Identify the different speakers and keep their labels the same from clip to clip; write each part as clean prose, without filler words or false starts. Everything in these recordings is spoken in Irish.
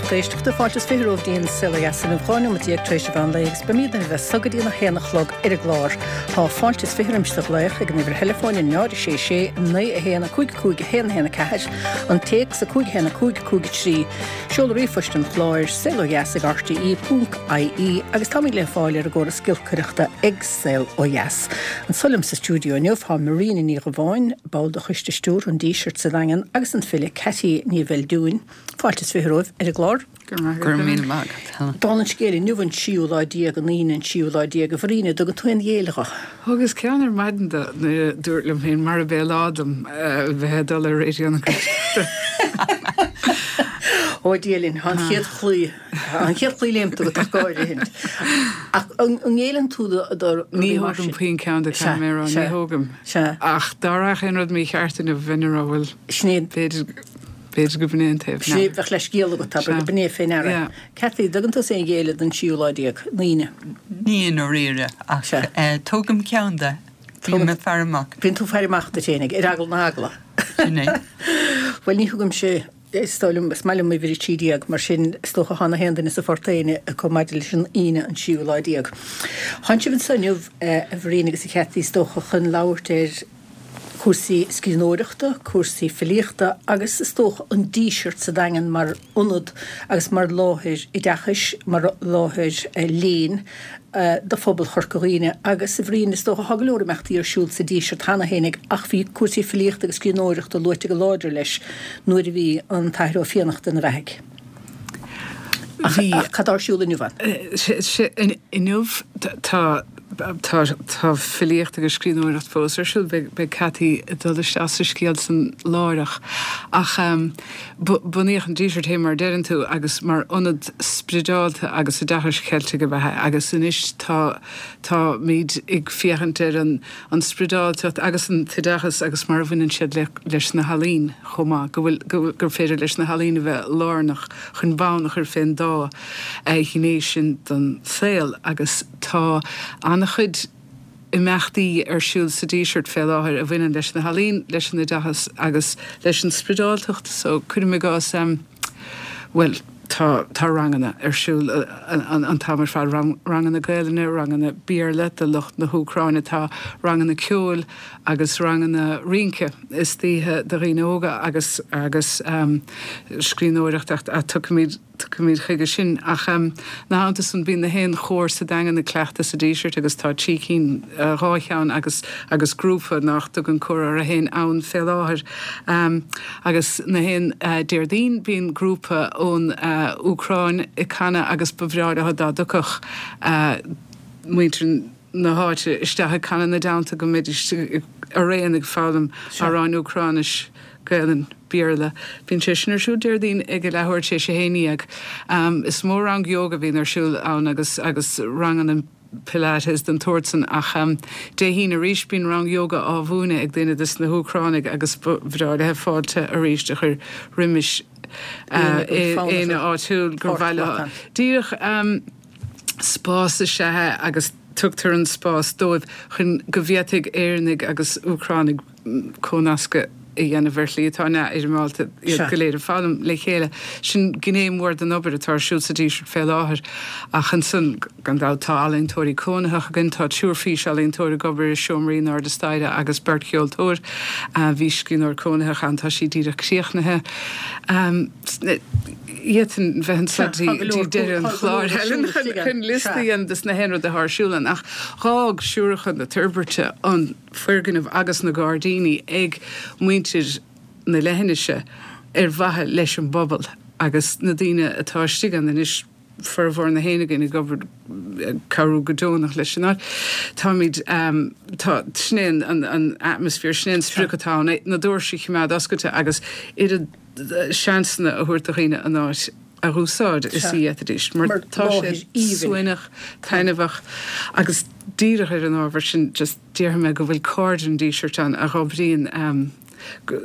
Speaker 1: lucht éisteachta, fáilte is 20 romhaibh go dtí an Saol Ó Dheas inniu, 12 nóiméad tar éis an mheán lae agus beimid libh as so go dtí an 1 a chlog ar an gclár. Tá fáilte is 20 roimis do ghlaoch ag an uimhir theileafóin 0 6 6 9 1 5 5 1 1 4, an téacs 5 1 5 5 3, seoladh ríomhphoist an chláir, saolodheas ag rte ponc ie agus táimid le fáil ar an gcóras giolcaireachta ag Saol Ó Dheas. Anso liom sa stiúideo inniu tá Marina Ní Dhubháin, ball de Choiste Stiúrtha an Dísirt sa Daingean agus an file Ceaití Ní Bheildiúin. Fáilte is 20 romhaibh ar an gclár.
Speaker 2: Go raibh míle maith agat,
Speaker 1: Helen. Dála an scéil, inniu an tríú lá déag, an Aoine an tríú lá déag. A Mharina, an dtugann tú aon ghéilleadh dho?
Speaker 2: Thugas ceann ar maidin do nuair a dúrt liom féin marab é lá dom bheith ag dul ar Raidió na Gaeltachta.
Speaker 1: Ó Dia linn, tá an chéad chlaí, tá an chéad chlaí léimte agat ach go háirithe. Ach an ngéilleann tú do
Speaker 2: rudaí mar sin? Ní thógaim puinn ceann de, caithfidh mé a rá, ní thógaim.
Speaker 1: Sea.
Speaker 2: Ach dá rachadh aon rud mícheart inniu, bheinn ag rá, bhuel,
Speaker 1: Sin é.
Speaker 2: b'fhéidir, b'fhéidir go b'in é an taobh.
Speaker 1: Sin é, bheadh leithscéal agat, abair, go b'in é fé ndeara.
Speaker 2: Yeah.
Speaker 1: Cathy, dtugann tusa aon ghéilleadh don tríú lá déag, an Aoine?
Speaker 3: Ní i ndáiríre, ach
Speaker 1: Sea.
Speaker 3: tógaim ceann de. Bím ag faire amach.
Speaker 1: Bíonn tú ag faire amach duit fhéinig, ar eagla na heagla.
Speaker 3: Sin é.
Speaker 1: Bhuel, ní thugaimse, is dóigh liom, is maith liom uimhir 13, mar sin is dócha thá na haon duine sa phort éinne acu maidir leis an Aoine an tríú lá déag. Thánn sibh anso inniu, a Mharina agus a Chathy, is dócha, chun labhairt ar chúrsaí scríbhneoireachta, cúrsaí filíochta agus is dócha an Díseart sa Daingean mar ionad agus mar láthair oideachais, mar láthair léinn do phobal Chorca Dhuibhne. Agus a Mharina, is dócha, thá go leor imeachtaí ar siúl sa Díseart cheana fhéinig ach bhí cúrsaí filíochta agus scríbhneoireachta luaite go láidir leis nuair a bhí an tAthair Ó Fiannachta ina bheathaidh. Ach cad tá ar siúl inniu
Speaker 2: ann? Inniu tá tá filíocht agus scríbhneoireacht fós ar siúl. Beidh Cathy ag dul isteach sa scéal san láithreach. Ach bunaíodh an Díseart fé mar a deireann tú agus mar ionad sprideálta agus oideachais Cheiltigh ab ea é agus anois tá táimid ag féachaint ar an an sprideáltacht agus an t-oideachas agus mar a bhaineann siad le leis na healaín chomh maith, go bhfuil go gur féidir leis na healaín a bheith lárnach chun bonn a chur fén dá ghné sin den saol agus tá an-chuid imeachtaí ar siúl sa Díseart fé láthair a bhaineann leis na healaín, leis an oideachas agus leis an sprideáltacht so cuirim i gcás bhuel tá tá ranganna ar siúl an t-am ar fad, ranganna Gaelainne, ranganna Béarla do lucht na hÚcráine, tá ranganna ceoil agus ranganna rince istoíche do dhaoine óga agus agus scríbhneoireacht ach tiocfaimid tiocfaimid chuige sin. Ach ina theannta san bíonn na haon chór sa Daingean ag cleachtadh sa Díseart agus tá trí cinn, dhá cheann agus agus grúpa nach dtugann cór orthu féin ann fé láthair. Agus na haon Déardaoin bíonn grúpa ón Úcráin ag canadh agus ba bhreá leo dá dtiocfadh muintir na háite isteach ag canadh ina dteannta go mbeidís araon ag foghlaim amhráin Úcráinis, Gaelainn, Béarla. Bíonn sé sin ar siúl Déardaoin ag a leathuair tar éis a haon dhéag. Is mó rang ióga a bhíonn ar siúl ann agus agus ranganna Pilates den tsórt san ach Dé hAoine arís bíonn rang ióga á mhúineadh ag duine des na hÚcránaigh agus ba bhreá léithe fáilte arís a chur roimis éinne áitiúil gur mhaith leo díreach spás is ea é agus tugtar an spás dóibh chun go bhféadfaidh Éireannaigh agus Úcránaigh comhnascadh a dhéanamh ar shlí atá neamhfhoirmeálta, iad go léir ag foghlaim le chéile. Sin gné mhór den obair atá ar siúl sa Díseart fé láthair. Ach ansan, gan dabht, tá ealaíontóirí cónaitheacha againn, tá triúr fís-ealaíontóir ag obair i seomraí in airde staighre agus beirt cheoltóir. Bhí scríbhneoir cónaitheach ann, tá sí díreach críochnaithe. D'fhéadfainn bheith anseo dtí deireadh an chláir, Helen, chun liosta a dhéanamh des na haon rud atá ar siúl ann. Ach dh'fhág Siúracha na Toirbhirte an foirgneamh agus na gairdíní ag muintir na leithinise ar mhaithe leis an bpobal agus na daoine atá istigh ann anois, formhór na héinne againn ag obair, ag cabhrú go deonach leis an áit. Táimid, tá, sin é an atmaisféar, sin é an sprioc atá ann, na doirse a choimeád oscailte agus oiread seansanna a thabhairt do dhaoine an áit a dh'úsáid is a d'fhéadfaidís mar tá sé suaimhneach, taitneamhach agus díreach ar an ábhar sin just déarfaidh mé go bhfuil Cairde an Dísirt ann a dh'oibríonn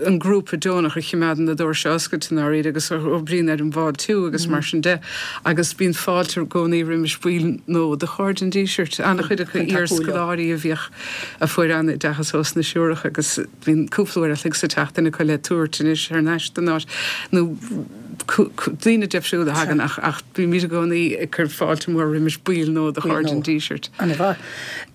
Speaker 2: an grúpa deonach a choimeádann na doirse oscailte i ndáiríre agus a dh'oibríonn ar an bhfáiltiú agus mar sin de agus bíonn fáilte i gcónaí roimis baill nua de Chairde an Dísirt, an-chuid acu iar-scoláirí a bhíodh a fuair an-oideachas ós na Siúracha agus bíonn cúpla uair a chloig sa tseachtain acu le tabhairt anois thar n-ais don áit nó. Daoine difriúla a thagann ach ach bímid i gcónaí ag cur fáilte mhór roimis baill nua de Chairde an Dísirt.
Speaker 1: Ana-mhaith.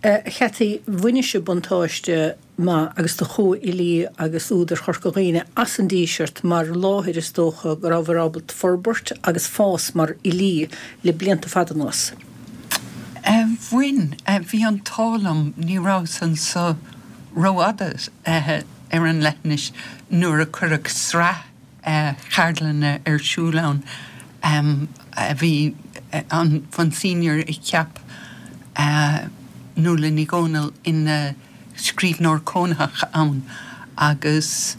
Speaker 1: A Chathy, bhain sibh buntáiste maith agus do chomhfhilí agus údair Chorca Dhuibhne as an Díseart mar láthair is dócha go rabhabhair ábalta forbairt agus fás mar fhilí le blianta fada anuas.
Speaker 3: Bhain. Bhí an t-ádh liom, ní rabhas anso rófhada ar an leithinis nuair a cuireadh sraith ceardlanna ar siúl ann. Bhí an Monsignor a cheap Nuala Ní Dhomhnaill ina scríbhneoir cónaitheach ann agus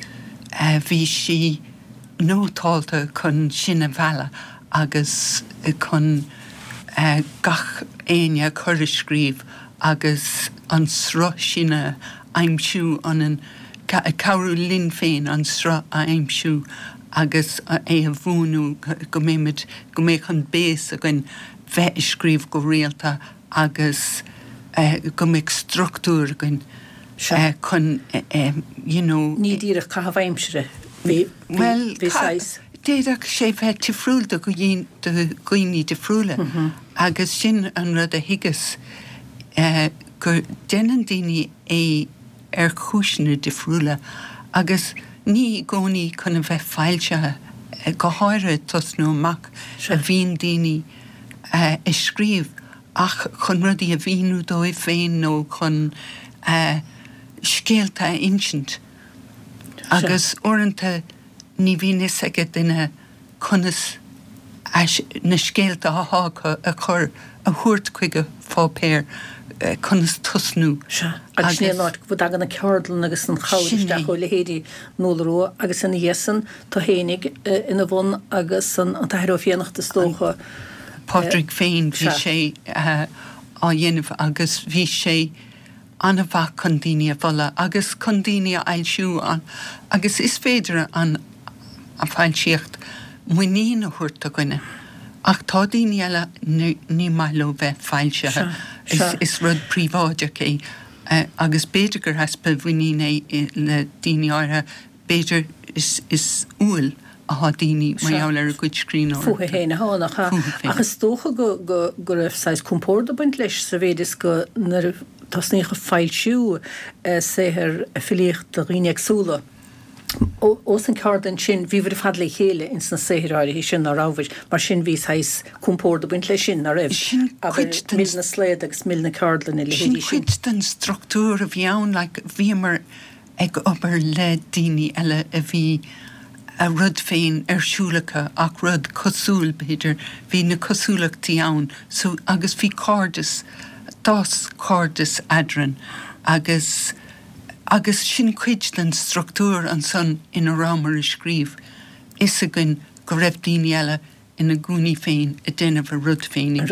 Speaker 3: bhí sí nótálta chun sinn a mhealladh agus chun gach éinne a chur ag scríobh agus an sruth sin a aimsiú ionainn, cabhrú linn féin an sruth a aimsiú agus é a bhuanú go mbeimid, go mbeadh an béas againn bheith ag scríobh go rialta agus go mbeadh struchtúr againn chun you know.
Speaker 1: Ní díreach caitheamh aimsire, bhí, bhí saghas.
Speaker 3: D'fhéadfadh sé bheith difriúil do dhaoine difriúla agus sin an rud a thuigeas, go déanann daoine é ar chúiseanna difriúla agus ní i gcónaí chun a bheith foilsithe, go háirithe ag tosnú amach, a bhíonn daoine ag scríobh ach chun rudaí a mhíniú dóibh féin nó chun scéalta a insint agus uaireanta ní bhíonn fhios ag duine conas na scéalta atá acu a chur, a thabhairt chuig an pháipéar, conas tosnú.
Speaker 1: Sea, agus sin é an áit go dtagann na ceardlanna agus an chabhair isteach ó leithéidí Nuala Rua agus ina dhiaidh san, tú fhéinig ina bhun agus an tAthair Ó Fiannachta is dócha.
Speaker 3: Pádraig féin, bhí sé á dhéanamh agus bhí sé an-mhaith chun daoine a mholadh agus chun daoine a fhoilsiú agus is féidir an foilsíocht muinín a thabhairt do dhuine ach tá daoine eile ní maith leo bheith foilsithe, is rud príobháideach é agus b'fhéidir gur easpa mhuinín é le daoine áirithe. B'fhéidir is umhal atá daoine mar gheall ar a gcuid scríbhneoireachta.
Speaker 1: Fúthu féin atá, nach ea? Ach is dócha go raibh saghas compord ag baint leis sa mhéid is go nuair a tosnaíodh ag foilsiú saothair filíochta dhaoine éagsúla ós an ceardlann sin, bhíobhair ar fad le chéile ins na saothair áirithe sin, ná rabhabhair? Mar sin bhí saghas compord ag baint leis sin, ná raibh?
Speaker 3: Sin cuid
Speaker 1: den. Mil na slaod agus mil na ceardlainne,
Speaker 3: leithéidí sin. Sin cuid den struchtúr a bhí ann, like bhíomar ag obair le daoine eile a bhí a rud féin ar siúl acu ach rud cosúil, b'fhéidir. Bhí na cosúlachtaí ann so agus bhí cairdeas, d'fhás cairdeas eadrainn agus agus sin cuid den struchtúr ansan ina rabhamar ag scríobh, fhios againn go raibh daoine eile ina gcúinní féin ag déanamh a rud féin ach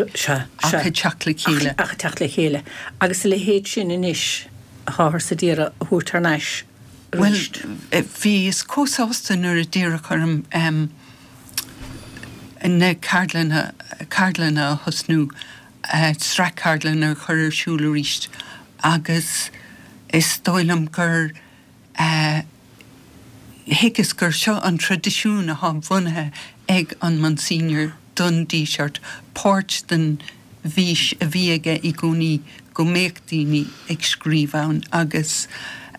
Speaker 3: ag teacht le chéile.
Speaker 1: Ach ag teacht le chéile. Agus a leithéid sin anois atáthar ag iarraidh a thabhairt thar n-ais
Speaker 3: arís. Bhuel, bhíos chomh sásta nuair a d'iarradh orm na ceardlanna, ceardlanna a thosnú, sraith ceardlanna a chur ar siúl arís agus is dóigh liom gur, Thuigeas gur seo an traidisiún atá bunaithe ag an Monsignor don Díseart, páirt den bhfís a bhí aige i gcónaí go mbeadh daoine ag scríobh ann agus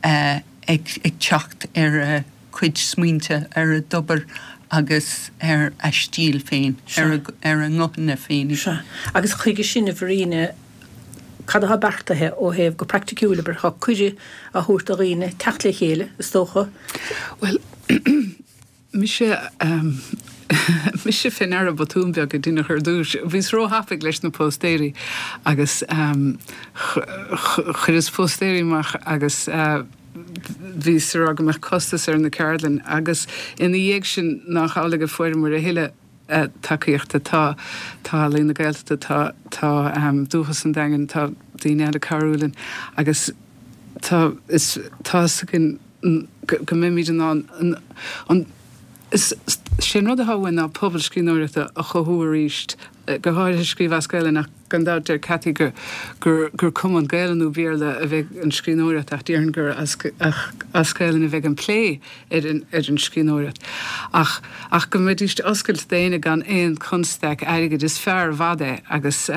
Speaker 3: ag teacht ar a gcuid smaointe, ar a dtobar agus ar a stíl féin, ar a nguthanna féin.
Speaker 1: Sea. Agus chuige sin, a Mharina, Cad atá beartaithe ó thaobh go praiticiúil, abair, tá cuireadh á thabhairt do dhaoine teacht le chéile, is dócha?
Speaker 2: Bhuel, mise, mise fé ndeara botún beag a deineadh ar dtúis. Bhíos róthapaidh leis na póstaeirí agus chuireas póstaeirí amach agus bhíos ag rá go mbeadh costas ar na ceardlainn agus ina dhiaidh sin nach amhlaidh a fuaireamar a thuilleadh. tacaíochta. Tá, tá Ealaín na Gaeltachta, tá, tá Dúchas an Daingin, tá daoine eile ag cabhrú linn agus tá, is, tá fhios againn go mbeimid in ann an, is, Sé an rud atá uainn ná pobal scríbhneoireachta a chothú arís, go háirithe scríobh as Gaelainn ach gan dabht deir Cathy gur gur cuma an Gaelainn nó Béarla a bheidh an scríbhneoireacht ach déarfainn gur as as Gaelainn a bheidh an plé ar an ar an scríbhneoireacht. Ach ach go mbeidís oscailte d'éinne gan aon constaic airgid. Is fearr i bhfad é agus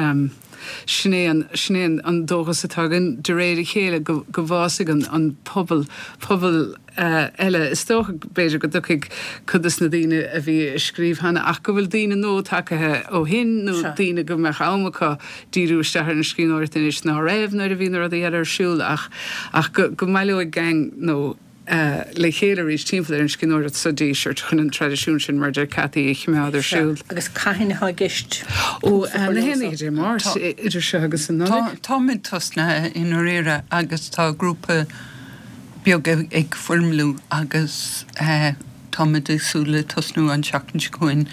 Speaker 2: sin é an sin é an dóchas atá againn de réir a chéile go go bhfásfaidh an an pobal pobal eile. Is dócha, b'fhéidir, go dtiocfaidh cuid des na daoine a bhí ag scríobh cheana ach go bhfuil daoine nua tagaithe ó shin nó daoine go mbeadh am acu díriú isteach ar an scríbhneoireacht anois ná raibh nuair a bhí na rudaí eile ar siúl ach ach go go mbaileoidh gang nó le chéile arís timpeall ar an scríbhneoireacht sa Díseart chun an traidisiún sin, mar a deir Cathy, a choimeád ar
Speaker 1: siúl. Agus cathain atá i gceist
Speaker 2: Ó, tús a chur na leo haon so? Dé Máirt, idir seo agus an
Speaker 3: Nollaig. Táimid tosnaithe i ndáiríre agus tá grúpa beag ag foirmliú agus táimid ag súil le tosnú an tseachtain seo chugainn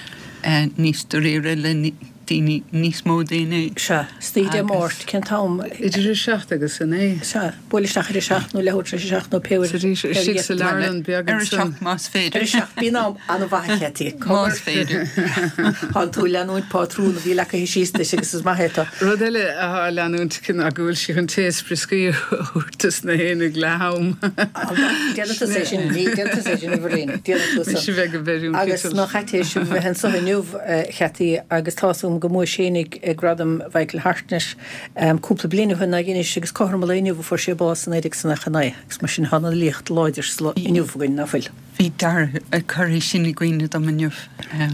Speaker 3: níos dáiríre le daoine, níos mó daoine.
Speaker 1: Sea. Istoíche Dé Máirt, cén t-am?
Speaker 2: Idir a 7 agus a 9.
Speaker 1: Sea. Buail isteach ar a 7 nó leathuair tar éis a 7 nó pé uair.
Speaker 2: Sa Díseart, istigh sa leabharlann beag
Speaker 3: Ar a ansan. 7 más féidir.
Speaker 1: Ar a 7, bíonn am an-mhaith a Chetty.
Speaker 3: Más féidir.
Speaker 1: Tánn tú ag leanúint pátrún a bhí leagtha síos duit agus is maith é tá.
Speaker 2: Rud eile atá á leanúint aici ná go bhfuil sí chun tae is brioscaí a thabhairt dos na héinne ag leath am.
Speaker 1: Déanfaidh tusa é sin, ní déanfaidh tusa é sin a Mhairín, déanfaidh
Speaker 2: tusa. Mise bheith go bhfeiriúint
Speaker 1: Agus ná chaiteis a bheith anso inniu a Chetty agus tá's agam go mbuaigh sé fhéinig Gradam Mhichael Hartnett cúpla bliain ó shin ná anois agus cothrom an lae inniu a fuair sé bás i 1999 agus mar sin tá an fhilíocht láidir sa lá inniu againn, ná fuil?
Speaker 3: Bhí Dara ag cur é sin i gcuimhne dom inniu.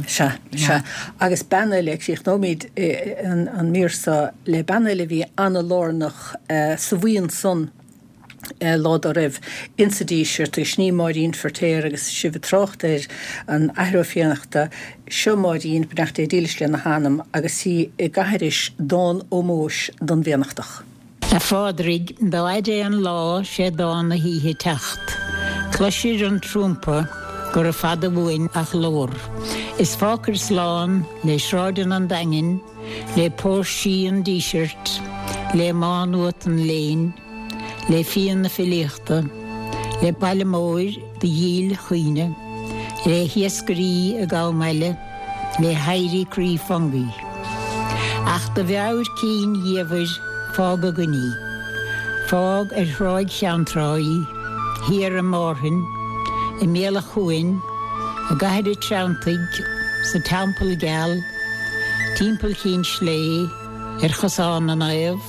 Speaker 1: Sea, sea. Agus bean eile, críochnóimid an mír seo le bean eile a bhí ana-lárnach sa bhuíon san lá dá raibh insa Díseart agus sin í Máirín Feirtéar agus sibh ag trácht ar an Athair Ó Fiannachta, seo Máirín, beannacht Dé dílis lena hanam, agus í ag aithris dán ómóis don bhFiannachtach.
Speaker 4: A Phádraig, dá fhaide an lá 'sé dán na hoíche teacht. Cloisir an trumpa gura fada uainn a ghlór. Is fágfair slán le sráideanna an Daingin, le póirsí an Dísirt, le Má Nuat an léinn, le fíon na filíochta, le baile móir do dhíl chuimhne, le hiascairí ag am eile, le héirí croí Fungie. Ach do mheabhair cinn dhiamhair fág againn í. Fág ar Thráigh Cheanntrá í, thiar i Márthain, i mbéal a' chuain, i gCathair a' Treanntaigh, sa Teampall Geal, timpeall Chinn Slé, ar Chosán na Naomh,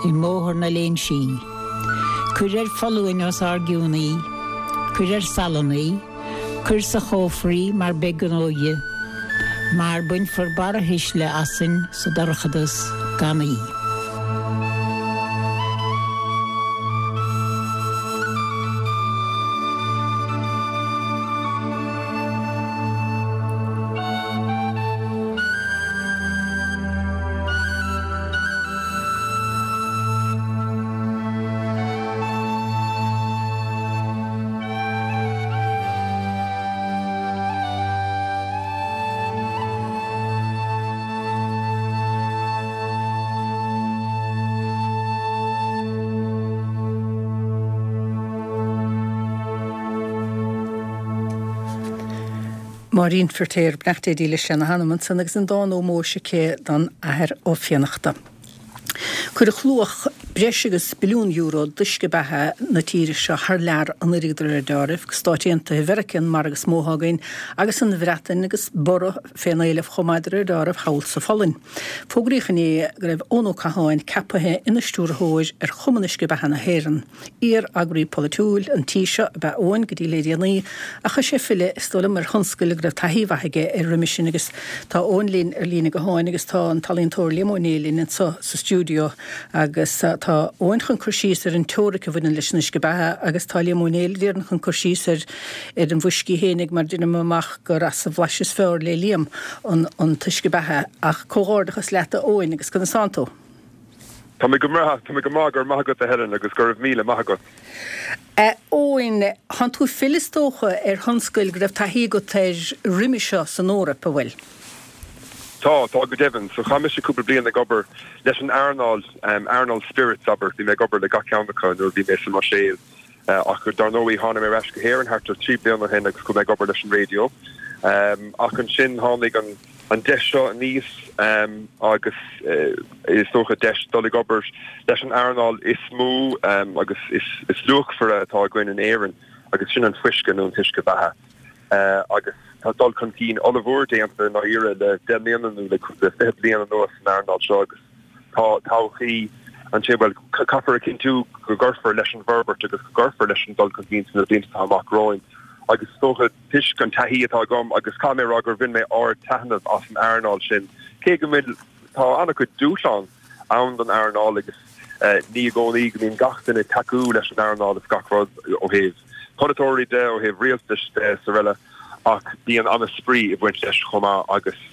Speaker 4: i mBóthar na Léinsí. Cuir ar foluain os ár gcionn í, cuir ar salann í, cuir sa chófra í mar beidh gnó dhi, mar bainfear barrathuisle asainn sa dorchadas gan í.
Speaker 1: Máirín Firtéar, beannacht Dé dílis lena hanam ansan agus an dán ómóis aici don Athair Ó Fiannachta. Cuireadh luach breis agus billiún euro d'uisce beatha na tíre seo thar lear anuraidh de réir deáraimh, go Stáit Aontaithe Mheiriceá an margadh is mó atá againn, agus an Bhreatain agus borradh fén éileamh chomh maith de réir deáraimh thall sa Pholainn. Fógraíodh inné go raibh Eoin Ó Catháin ceapaithe ina stiúrthóir ar Chumann Uisce Beatha na hÉireann. Iar-eagraí polaitiúil an tí seo ab ea Eoin go dtí le déanaí, ach chaith sé filleadh, is dóigh liom, ar thionscal go raibh taithí mhaith aige air roimis sin agus tá Eoin linn ar líne gutháin agus tá an t-ealaíontóir Liam Ó Néill linn anseo sa stiúideo agus tá Eoin chun cur síos ar an teoiric a bhaineann leis an uisce beatha agus tá Liam Ó Néill déarfainn chun cur síos ar ar an bhfuiscí fhéinig mar deinim amach gur as an bhlais is fearr le Liam an an t-uisce beatha ach comhghairdeachas leat a Eoin agus conas tánn tú?
Speaker 5: Tá mé go breá, tá mé go maith, go raibh maith agat a Helen agus go raibh míle maith agat.
Speaker 1: A Eoin, thánn tú ag filleadh is dócha ar thionscal go raibh taithí agat air roimis seo san Eoraip, an bhfuil?
Speaker 5: Tá, tá go deimhin. So chaith mise cúpla bliain ag obair leis an earnáil, earnáil spirits abair, bhí mé ag obair le gach ceann acu nuair a bhí mé sa mBruiséil. Ach dar ndóigh tháinig mé ar ais go hÉirinn thart ar 3 bliana ó shin agus chuaigh mé ag obair leis an raidió. Ach ansin tháinig an an deis seo aníos agus is dócha deis dul ag obair leis an earnáil is mó agus is luachmhaire atá againn in Éirinn agus sin an fuisce nó an t-uisce beatha. Agus tá dul chun cinn ollmhór déanta i ndáiríre le 10 mbliana nó le 20 bliain anuas san earnáil seo agus tá todhchaí ansin, bhuel, caithfear a chinntiú go gcuirfear leis an bhforbairt agus go gcuirfear leis an dul chun cinn sna blianta atá amach romhainn agus is dócha toisc an taithí atá agam agus caithfidh mé a rá gur bhain mé ard-taitneamh as an earnáil sin, cé go bhfuil, tá an-chuid dúshlán ann don earnáil agus ní i gcónaí go mbíonn gach duine ag tacú leis an earnáil is gach rud ó thaobh polaiteoirí de, ó thaobh rialtais de is araile ach bíonn an-spraoi ag baint leis chomh maith agus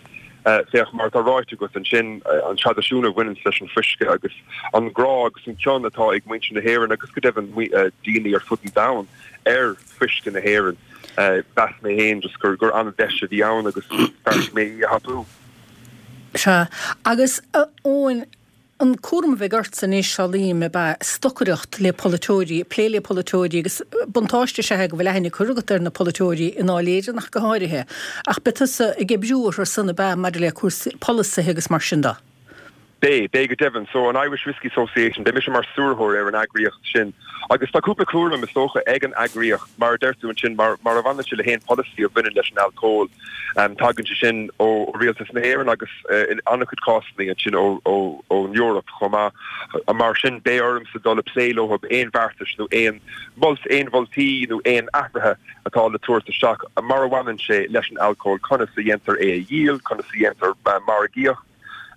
Speaker 5: féach mar atá ráite agat ansin, an traidisiún a bhaineanns leis an fuisce agus an grá agus an cion atá ag muintir na hÉireann agus go deimhin daoine ar fud an domhain ar fuisce na hÉireann. Mheas mé féin just gur gur an-deis a bhí ann agus bheartaigh mé í a thapú.
Speaker 1: Sea. Agus, a Eoin, an cúram a bheidh ortsa anois, samhlaím, ab ea stocaireacht le polaiteoirí, plé le polaiteoirí agus buntáiste is ea é go bhfuil aithne curtha agat ar na polaiteoirí i nDáil Éireann ach go háirithe. Ach beidh tusa ag oibriú orthu san, ab ea, maidir le cúrsaí polasaithe agus mar sin de?
Speaker 5: Beidh, beidh go deimhin. So, an Irish Whiskey Association, beidh mise mar stiúrthóir ar an eagraíocht sin agus tá cúpla cúram, is dócha, ag an eagraíocht, mar a deir tú ansin, mar, mar a bhaineann sé le haon polasaí a bhaineann leis an alcól. Tagann sé sin ó Rialtas na hÉireann agus in an-chuid cásanna ansin ó, ó, ón Eoraip chomh maith. Mar sin, beidh ormsa dul ag plé leo aon bheartais nó aon mholt, aon mholtaí nó aon athruithe atá le tabhairt isteach mar a bhaineann sé leis an alcól, conas a dhéantar é a dhíol, conas a dhéantar margaíocht.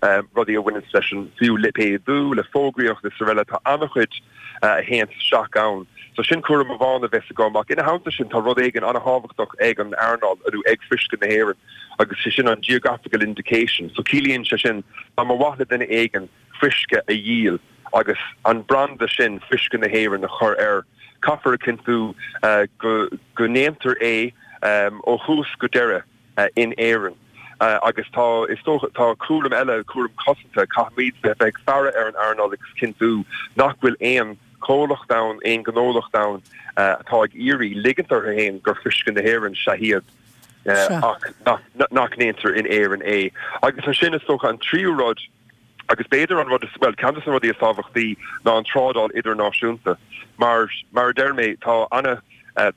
Speaker 5: rudaí a bhaineanns leis an, fiú lipéadú, le fógraíocht is araile, tá an-chuid a théanns isteach ann. So sin cúram amháin a bheas agam ach ina theannta sin tá rud éigin an-thábhachtach ag an earnáil nó ag Fuisce na hÉireann agus sé sin an geographical indication. So ciallaíonn sé sin dá mba mhaith le duine éigin fuisce a dhíol agus an branda sin Fuisce na hÉireann a chur air, caithfear a chinntiú go go ndéantar é ó thús go deireadh. in Éirinn. Agus tá, is dócha, tá cúram eile, cúram cosanta, caithfimid bheith ag faire ar an earnáil agus cinntiú nach bhfuil aon chomhlacht ann, aon ghnólacht ann atá ag iarraidh ligint orthu féin gur fuisce na hÉireann is ea iad ach nach ndéantar in Éirinn é. Agus ansin, is dócha, an tríú rud, Agus b'fhéidir an rud is, bhuel, ceann de na rudaí is tábhachtaí ná an trádáil idirnáisiúnta. Mar, mar a deir mé, tá ana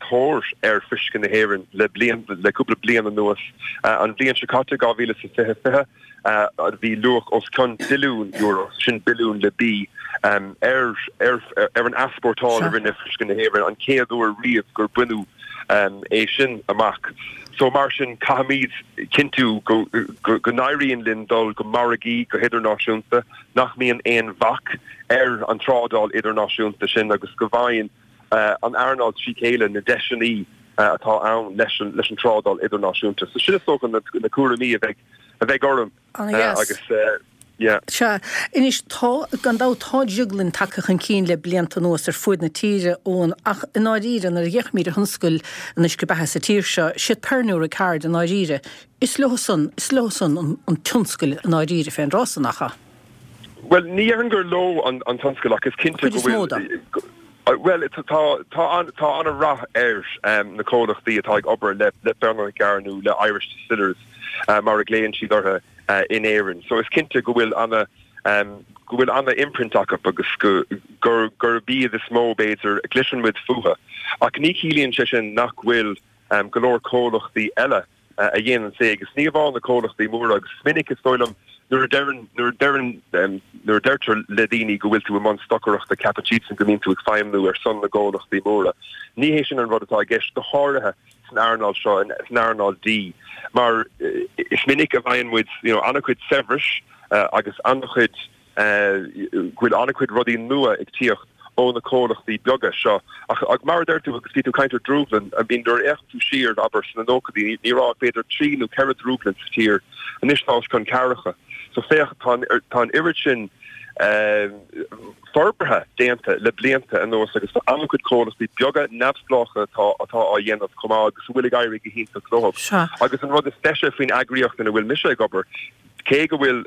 Speaker 5: tóir ar fuisce na hÉireann le bliain, le cúpla bliain anuas. An bhliain seo caite, 2020 20, bhí luach os cionn billiún euro, sin billiún le B, ar, ar, ar an easpórtáil a rinne fuisce na hÉireann, an chéad uair riamh gur baineadh é sin amach. So mar sin, caithfimid cinntiú go n-éiríonn linn dul go margaí go hidirnáisiúnta, nach mbíonn aon bhac ar an trádáil idirnáisiúnta sin agus go bhfaigheann an earnáil trí chéile na deiseanna atá ann leis an trádáil idirnáisiúnta. So sin is dócha na cúraimí a bheidh orm
Speaker 1: agus.
Speaker 5: Yeah.
Speaker 1: Sea. Anois, tá, gan dabht, tá drioglainn tagtha chun cinn le blianta anuas ar fuaid na tíre, Eoin, ach i ndáiríre, nuair a fhéachaimid ar thionscal an uisce beatha sa tír seo, siad Pernod Ricard i ndáiríre, is leo san, is leo san an tionscal i ndáiríre fén dtráth san, nach ea?
Speaker 5: Bhuel, ní dhéarfainn gur leo an tionscal ach is cinnte
Speaker 1: go bhfuil. An chuid is mó de.
Speaker 5: Bhuel, tá, tá an, tá an-rath ar na comhlachtaí atá ag obair le, le Pernod Ricard nó le Irish Distillers, mar a ghlaonn siad orthu. in Éirinn. So is cinnte go bhfuil ana, go bhfuil ana imprint acu agus go, gur, gurb iad is mó b'fhéidir a gcloiseann muid fúthu. Ach ní chiallaíonn sé sin nach bhfuil go leor comhlachtaí eile a dhéanann é agus ní amháin na comhlachtaí móra agus is minic is dóigh liom nuair a deireann, nuair a deireann, nuair a deirtear le daoine go bhfuil tú i mbun stocaireachta ceapann siadsan go mbíonn tú ag feidhmniú ar son na gcomhlachtaí móra. Ní hé sin an rud atá i gceist, go háirithe san earnáil seo, san earnáil dí, mar is minic a bhfaigheann muid you know an-chuid saibhris agus an-chuid go bhfuil an-chuid rudaí nua ag tíocht ó na comhlachtaí beaga seo. Ach ach mar a deir tú, agus bhí tú ag caint ar drúglann, I mean nuair a fhéachann tú siar, abair, sna nóchaidí, ní raibh ach b'fhéidir trí nó ceithre drúglann sa tír, anois tá os cionn ceathracha. So féach, tá an tá an oiread sin forbartha déanta le blianta anuas agus tá an-chuid comhlachtaí beaga neamhspleácha atá atá á dhéanamh chomh maith agus a bhfuil ag éirí go hiontach leo. Agus an rud is deise faoin eagraíocht ina bhfuil mise ag obair, cé go bhfuil,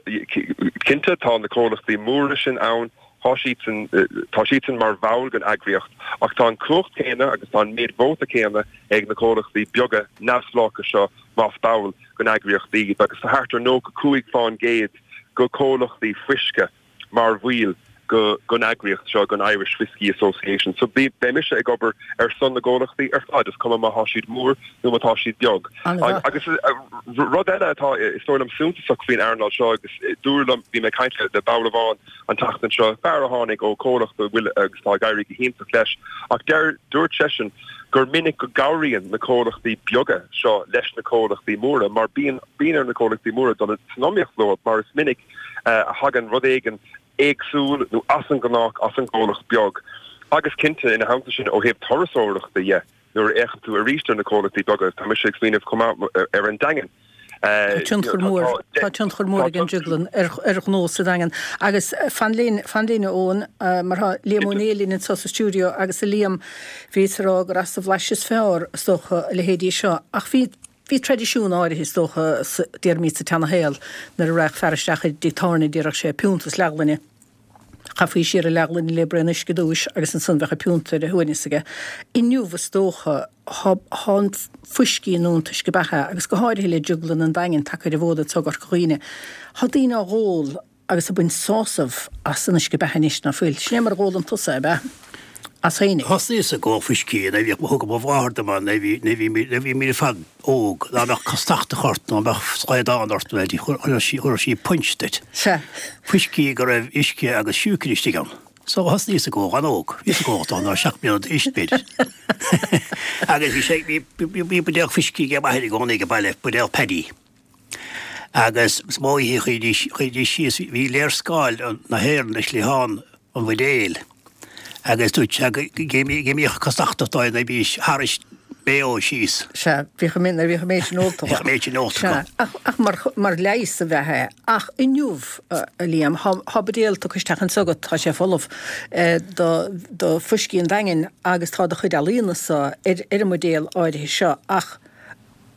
Speaker 5: cinnte tá na comhlachtaí móra sin ann, Tá siadsan, tá siadsan mar bhall den eagraíocht ach tá an cumhacht céanna agus tá an méid vóta céanna ag na comhlachtaí beaga neamhspleácha seo más ball den eagraíocht iad agus tá thart ar 95 fán gcéad de chomhlachtaí fuisce mar bhaill den eagraíocht seo, den Irish Whiskey Association. So beidh mise ag obair ar son na gcomhlachtaí ar fad, is cuma má thá siad mór nó má tá siad beag. Agus rud eile atá, is dóigh liom, suntasach faoin earnáil seo agus dúradh liom, bhí mé ag caint le ball amháin an tseachtain seo, fear a tháinig ó chomhlacht a bhfuil agus tá ag éirí go hiontach leis, ach deir, dúirt seisean gur minic go gcabhraíonn na comhlachtaí beaga seo leis na comhlachtaí móra mar bíonn, bíonn ar na comhlachtaí móra dul san iomaíocht leo mar is minic a thagann rud éigin éagsúil nó as an ngnách as an gcomhlacht beag. Agus cinnte, ina theannta sin, ó thaobh turasóireachta dhe, nuair a fhéachann tú arís ar na comhlachtaí beaga, tá mise ag smaoineamh chomh maith ar an Daingean.
Speaker 1: Tá tionchar mór, tá tionchar mór ag an drioglann ar ar ghnó sa Daingean. Agus fan linn, fan linn a Eoin, mar tá Liam Ó Néill linn anseo sa stiúideo agus a Liam, bhíos ag rá gur as an bhlais is fearr, is dócha, a leithéidí seo. Ach bhí, Bhí traidisiún áirithe, is dócha, déarfaimid sa tseana-shaol, nuair a raghadh fear isteach i dtigh tábhairne déarfadh sé piúnta is leathghloine. Chaithfí siar an leathghloine le braon uisce ar dtúis agus ansan bheadh an piúnta ar a shuaimhneas aige. Inniu, is dócha, thá an fuiscí nó an t-uisce beatha, agus go háirithe le Drioglann an Daingin tagtha ar an bhfód anso i gCorca Dhuibhne, thá daoine á dh'ól Agus ag baint sásamh as an uisce beatha anois, ná fuil? Sin é mar a dh'ólann tusa, ab ea? As féinig.
Speaker 6: Thosnaíos ag ól fuiscí nuair a bhíodh, thugadh mo mháthair dom é nuair a bhí, nuair a bhí, nuair a bhí mé ar fad óg, dá mbeadh castachtach ort nó mbeadh slaghdán ort nó chuireadh sí, chuireadh sí punch duit.
Speaker 1: Sea.
Speaker 6: Fuiscí go raibh uisce agus siúcra istigh ann. So thosnaíos ag ól an-óg, bhíos ag ól dá 7 mbliana d'aois b'fhéidir. Agus bhí sé, bhí, bhí, bhí buidéal fuiscí ag m'athair i gcónaí ag baile, buidéal Paddy. Agus is mó oíche chuiridís, chuiridís síos, bhí léarscáil na hÉireann ar chliathán an bhuidéil agus dúirt sé go, go mbíodh castachtach dóibh nuair a bhídís thairis Mayo síos.
Speaker 1: Sea, bhíodh an méid, nuair a bhíodh an méid sin ólta
Speaker 6: acu. Bhíodh an méid sin ólta
Speaker 1: acu. Sea, ach, ach mar, mar leigheas ab ea é. Ach inniu, a Liam, thá, thá buidéal tugtha isteach anso agat, tá sé folamh, do, do fuiscí an Daingin agus tá do chuid ealaíona-sa ar, ar an mbuidéal áirithe seo ach,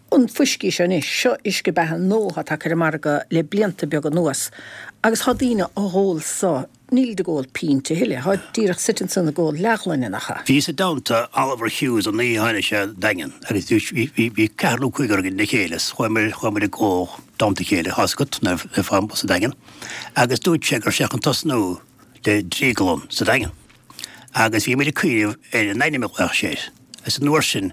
Speaker 1: An fuiscí seo anois, seo uisce beatha nua atá tagtha ar an margadh le blianta beaga anuas agus thá daoine á dh'ól so, nílid ag ól pínte a thuilleadh, tháid díreach suite ansan ag ól leathghloine, nach ea?
Speaker 6: Bhíos i dteannta Oliver Hughes an oíche a tháinig sé an Daingean agus bhí, bhí, bhí ceathrar nó cúigear againn le chéile is chuaigh muid, chuaigh muid ag ól i dteannta a chéile, thá's agat, na, na, sa Daingean agus dúirt sé go raibh sé chun tosnú le drioglann sa Daingean agus bhí muid ag cuimhneamh ar an ainm a ghlaofadh sé air agus an uair sin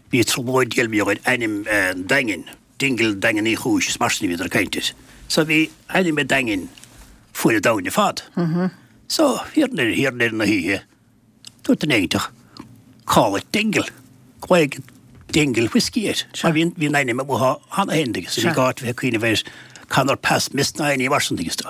Speaker 6: Bhí trioblóid deilbhíodh ar ainm an Daingin, Dingle Daingean Uí Chúis is mar sin a bhíodar ag caint air. So bhí ainm an Daingin fuaid an domhain ar fad. So thiar i thiar i ndeireadh na hoíche dúirt duine éiginteach call it Dingle, glaoigh Dingle Whiskey air. Mar bhí bhí an ainm amuigh cheana féin agus ní gá duit bheith ag cuimhneamh ar Conor Pass Miss ná éinní mar sin agus do.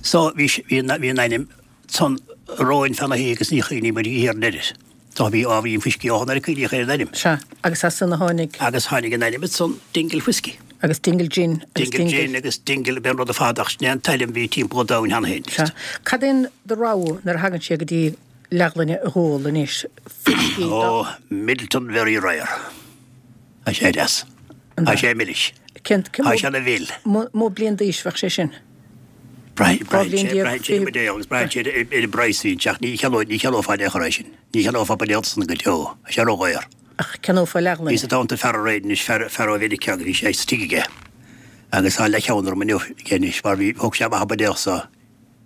Speaker 6: So bhí bhí an ainm san romhainn feadh na hoíche agus ní chuimhnigh muid thiar i ndeireadh. Tá bhí á bhí an fuiscí ó nuair a cuimhníodh ar an ainm.
Speaker 1: Sea, agus as san a tháinig.
Speaker 6: Agus tháinig an ainm ansan, Dingle Whiskey.
Speaker 1: Agus Dingle Gin
Speaker 6: agus Dingle. Dingle Gin agus Dingle, b'é an rud ar fad ach sin é an t-ainm a bhí timpeall an domhain cheana féin.
Speaker 1: Sea. Cad é do rogha nuair a thagann sé go dtí leathghloine a dh'ól anois?
Speaker 6: Fuiscí do. Ó, Midleton Very Rare. Tá sé deas. Tá sé milis.
Speaker 1: Cén, cén
Speaker 6: Tá sé ina mhil.
Speaker 1: mó bliain d'aois bheadh sé sin?
Speaker 6: Braitheann sé ar an mbuidéal agus braitheann sé ar an bpraghas a bhíonn ach ní cheannóidh, ní cheannófá in aon chor é sin. Ní cheannófá buidéal san go deo. Tá sé ródhaor.
Speaker 1: Ach ceannófá leathghloine.
Speaker 6: Bhíos i dteannta fear aréir anois, fear, fear ó Mheiriceá agus bhí sé sa tigh aige agus tá leathcheann orm inniu aige anois mar bhí, thóg sé amach an buidéal so.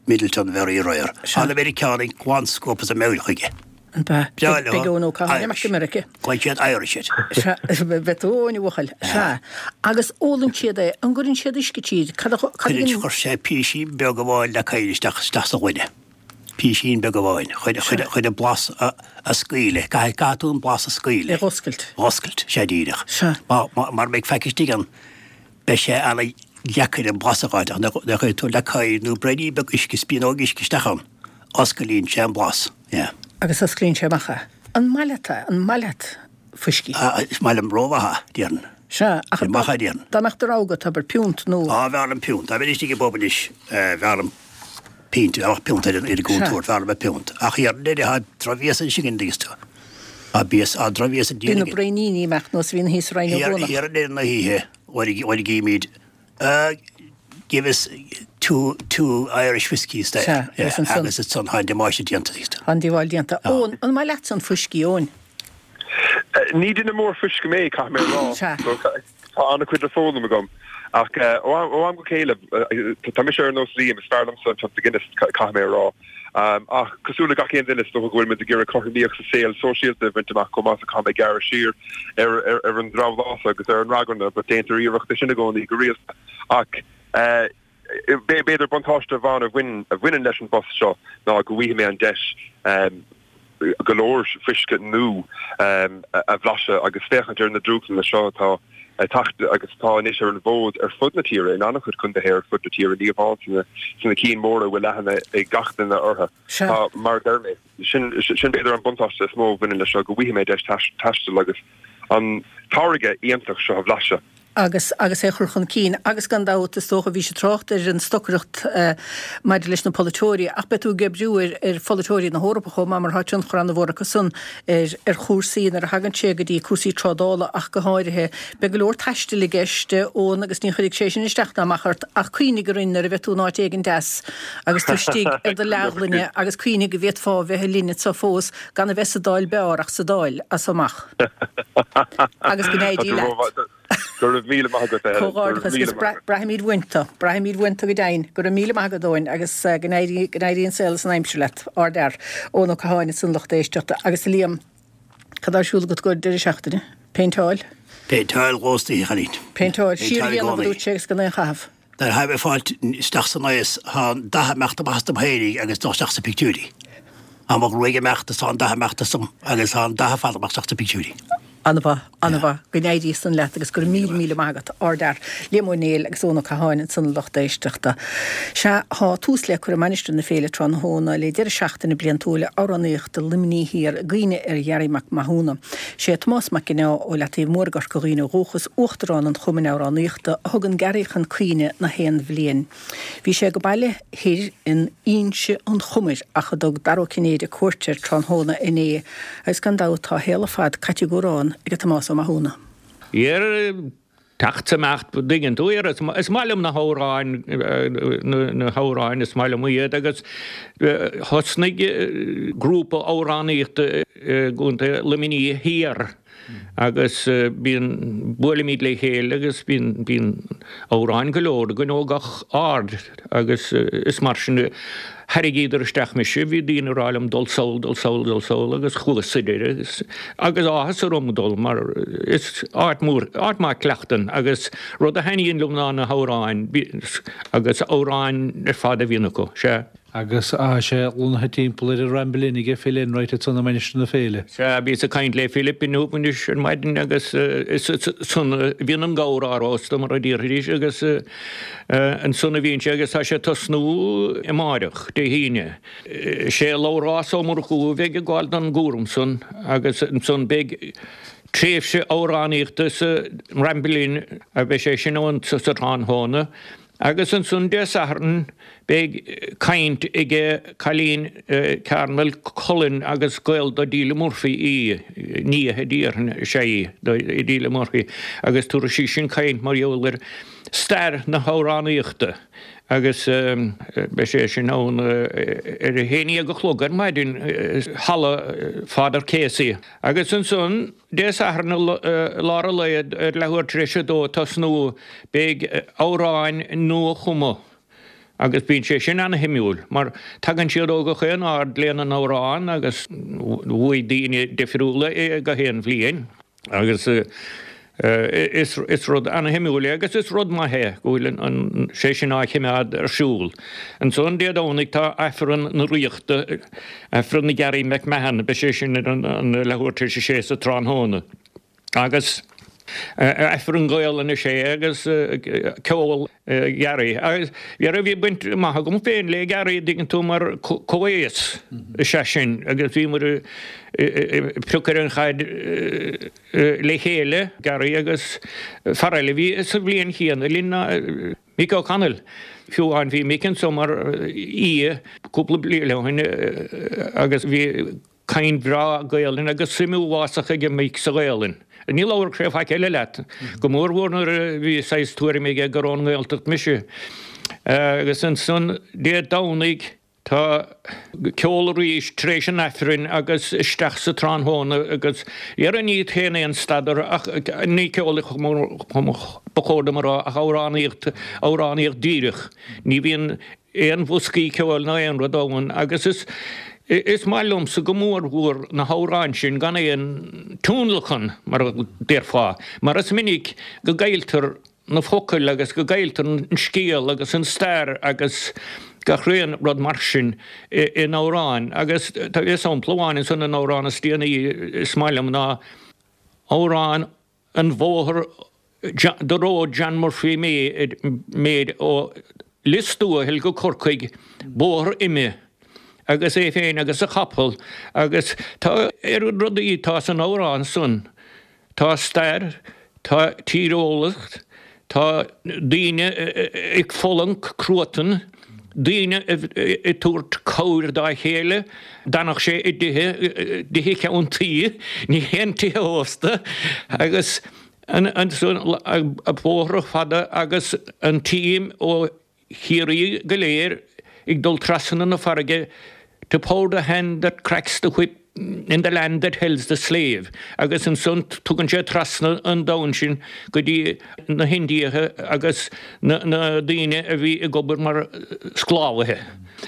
Speaker 6: Midleton Very Rare. Tá na Meiriceánaigh glan scuabtha as a meabhair chuige.
Speaker 1: An bea?
Speaker 6: Breá leo.
Speaker 1: Beidh Eoin Ó Catháin amach i Meiriceá.
Speaker 6: Glaonn siad Irish air.
Speaker 1: Sea, beidh tú Eoin, a bhuachaill. Sea. Agus ólann siad é. An gcuireann siad uisce tríd? Cad a, cad a
Speaker 6: Cuireann, chuir sé písín beag amháin le coir isteach, isteach sa ghloine. Písín beag amháin. Chun, chun, chun an blas a, a scaoileadh. Caithfidh, caithfidh tú an blas a scaoileadh.
Speaker 1: É dh'oscailt.
Speaker 6: Dh'oscailt, sea díreach.
Speaker 1: Sea.
Speaker 6: Má, má, mara mbeidh faic istigh ann, Beidh sé ana-dheacair an blas a fháil ach nuair a chuireann tú leac oighir nó braoinín beag uisce, spíonóg uisce isteach ann, osclaíonn sé an blas. Yeah.
Speaker 1: Agus osclaíonn sé amach é. An maith leat é? An maith leat fuiscí?
Speaker 6: Ah, is maith liom rómhaith é, déarfainn.
Speaker 1: Sea, ach
Speaker 6: Is maith é, déarfainn.
Speaker 1: dá mbeadh de rogha agat, abair, piúnt nó.
Speaker 6: Á, b'fhearr liom piúnt. Dá mbeinn istigh i bpub anois, b'fhearr liom pínt, dá mbeadh piúnt ar an gcúntúirt, b'fhearr liom piúnt. Ach thiar i ndeireadh, tá drochbhias anois againn, an dtuigeann tú. Tá bias, tá drochbhias
Speaker 1: Bíonn na braoiníní ag imeacht nós a bhíonn thíos sa Rinn Ó
Speaker 6: gCuanach. Thiar i ndeireadh na hoíche, uair a gímid, give us. Two Irish Whiskeys there.
Speaker 1: Sea, agus ansan.
Speaker 6: Agus ansan tá an damáiste déanta.
Speaker 1: Tá an díobháil déanta. Eoin, an maith leatsa an fuiscí, Eoin?
Speaker 5: Ní duine mór fuisce mé, caithfidh mé a rá.
Speaker 1: Sea.
Speaker 5: Tá an-chuid le foghlaim agam. Ach ó am go chéile, tá mise ar nós Liam, is fearr liomsa an pionta Guinness, caithfidh mé a rá. Ach cosúil le gach aon duine, is dócha go bhfuil muid ag iarraidh cothromaíocht sa saol sóisialta a bhaint amach chomh maith so caithfidh mé gearradh siar ar an drabhlás agus ar an ragairne, but déantar iarracht é sin i gcónaí go rialta. Ach b'fhéidir buntáiste amháin a bhaineann leis an bpost seo ná go bhfaighidh mé an deis go leor fuisce nua a bhlaiseadh agus féachaint ar na drúchtlanna seo atá ag teacht agus atá anois ar an bhfód ar fud na tíre, in an-chuid contaetha ar fud na tíre, ní amháin sna cinn mhóra a bhfuil aithne ag gach duine orthu. Tá, mar a deir mé, sin b'fhéidir an buntáiste is mó a bhaineann leis seo, go bhfaighidh mé deis taisteal agus an táirge iontach seo a bhlaiseadh.
Speaker 1: agus agus é a chur chun cinn. Agus gan dabht, is dócha, bhís ag trácht ar an stocaireacht maidir leis na polaiteoirí, ach beidh tú ag oibriú ar ar pholaiteoirí na hEorpa chomh maith mar tá tionchar an-mhór acu san ar ar chúrsaí nuair a thagann sé go dtí cúrsaí trádála ach go háirithe. Beidh go leor taistil i gceist, Eoin, agus ní chuirfidh sé sin isteach ná amach ort, ach cuimhnigh orainn nuair a bheidh tú in áit éigin deas agus tú istigh ar do leathghloine agus cuimhnigh go bhféadfá a bheith linn anseo fós gan a bheith sa Dáil b'fhearr ach sa Dáil as so amach. Agus go n-éirí leat.
Speaker 5: Go raibh míle maith agat, a Helen.
Speaker 1: Comhghairdeachas agus braithfimid uainn tú. Braithfimid uainn tú go deimhin. Go raibh míle maith agat, Eoin, agus go n-éirí, go n-éirí an saol is an aimsir leat. Ardfhear. Eoin Ó Catháin ansan lucht éisteachta. Agus a Liam, cad tá ar siúl agat i gcomhair deireadh seachtaine? Péinteáil?
Speaker 6: Péinteáil dhós oíche, a chailín.
Speaker 1: Péinteáil. Siar a dhéanamh, a dúirt sé, agus gan aon chaitheamh.
Speaker 6: Nuair atá mé ag fáilt isteach san aos tá an dath ag imeacht amach astam féinig agus dul isteach sna pictiúirí. Tá mo ghruaig ag imeacht is tá an dath ag imeacht asam agus tá an dath ar fad ag imeacht isteach sna pictiúirí.
Speaker 1: An-mhaith, an-mhaith. Go n-éirí san leat agus go raibh míle, míle maith agat. Ardfhear. Liam Ó Néill agus Eoin Ó Catháin ansan a lucht éisteachta. Sea, tá tús le cur i Mainistir na Féile tráthnóna le deireadh seachtaine bliantúil amhránaíochta Luimnigh Thiar i gcuimhne ar Ghearaí Mac Mathúna. Sé Tomás Mac Ginneá ó Leataobh Mór i gCorca Dhuibhne ó dhúchas, Uachtarán an Chumainn Amhránaíochta, a thugann Garry chun cuimhne na haon bhliain. Bhí sé ag baile thoir in Inse an Chomair ach a dtug Dara Ó Cinnéide cuairt air tráthnóna inné agus gan dabht tá a shaol ar fad caite ag amhrán ag Tomás Ó Mathúna.
Speaker 7: Iar teacht 's imeacht, dtuigeann tú, is maith liom na hamhráin, na hamhráin, is maith liom iad agus thosnaigh grúpa amhránaíochta i gContae Luimnigh Thiar agus bíonn, buailimid le chéile agus bíonn, bíonn amhráin go leor againn ó gach aird agus is mar sin a tharraingíodar isteach mise, bhí daoine ag rá liom dul sall, dul sall, dul sall agus chuas sa deireadh agus, agus áthas orm dul mar is áit mhór, áit maith cleachtann agus rud a thaitníonn liom ná na hamhráin agus amhráin ar fad a bhíonn acu, sea.
Speaker 8: Agus tá sé lonnaithe timpeall ar an Ramble Inn aige Phil Enright ansan i Mainistir na Féile.
Speaker 7: Sea, bhíos ag caint le Philip inniu anois ar maidin agus is ansan a bhíonn an gabhar á róstadh mar a déarfaidís agus Ansan a bhíonn sé agus tá sé ag tosnú amáireach, Dé hAoine. Sé Labhrás Ó Murchú a bheidh ag gabháil don gcúram san agus ansan beidh tréimhse amhránaíochta sa Ramble Inn, beidh sé sin ann sa tráthnóna agus ansan Dé Sathairn beidh caint aige cailín Carmel Cullen agus gaol d'Odelia Murphy í, nia déarfainn is ea í d'Odelia Murphy agus tabharfaidh sí sin caint mar gheall ar stair na hamhránaíochta agus beidh sé sin ann ar a haon dhéag a chlog ar maidin i Halla Father Casey. Agus ansan Dé Sathairn i lár an lae ar leathuair tar éis a dó ag tosnú beidh amhráin nua-chumtha agus bíonn sé sin ana-shuimiúil mar tagann siad ó gach aon aird lena n-amhrán agus bhuaigh daoine difriúla é gach aon bhliain. Agus is rud ana-shuimiúil é agus is rud maith é go bhfuil sé sin á chimeád ar siúl. Ansan Dé Domhnaigh tá Aifreann na Ríochta, Aifreann na Garry McMahon, beidh sé sin ar an leathuair tar éis a sé sa tráthnóna. Agus Aifreann Gaolainne is ea é agus ceol Gharry. Agus dhera bhí baint maith agam féin le Garry, an dtuigeann tú, mar comhaos is ea sin agus bhíomar ag piocadh ar an chaid le chéile, Garry agus fear eile a bhí sa bhliain chéanna linn ná Mick O'Connell. Fiú amháin bhí Mick anso mar aoi cúpla bliain ó shin agus bhí. Caint bhreá Gaelainn agus suim uafásach aige Mick sa Ghaelainn. Ní labharfadh sé faic eile leat, go mórmhór nuair a bhí saghas tuairim aige gur ón nGaeltacht mise. Agus ansan Dé Domhnaigh tá ceol arís tar éis an Aifrinn agus isteach sa tráthnóna agus dhera ní théann aon stad orthu ach ní ceol ba chóir dom a rá ach amhránaíocht, amhránaíocht díreach. Ní bhíonn aon bhoscaí ceoil ná aon rud ann agus is is maith liomsa go mór mhór na hamhráin sin gan aon tionlacan, mar a déarfá, mar is minic go gcailltear na focail agus go gcailltear an scéal agus an stair agus gach aon rud mar sin in amhráin. Agus tá sampla amháin ansan an amhrán is déanaí is maith liom ná amhrán an bhóthar The road John Murphy made ó Lios Tuathail go Corcaigh, bóthar ime, agus é féin agus a chapall agus tá oiread rudaí atá san amhrán san, tá stair, tá tíreolaíocht, tá daoine ag fulaingt cruatan, daoine ag tabhairt cabhair dá chéile, d'fhanadh sé i dtithe, dtithe ceann tuí, ní haon tithe ósta agus ansan bóithre fada agus an team ó Chiarraí go léir ag dul trasna na farraige to power the hand that cracks the whip in the land that helds the slave agus ansan tugann sé trasna an domhan sin go dtí na hIndiacha agus na daoine a bhí ag obair mar sclábhaithe.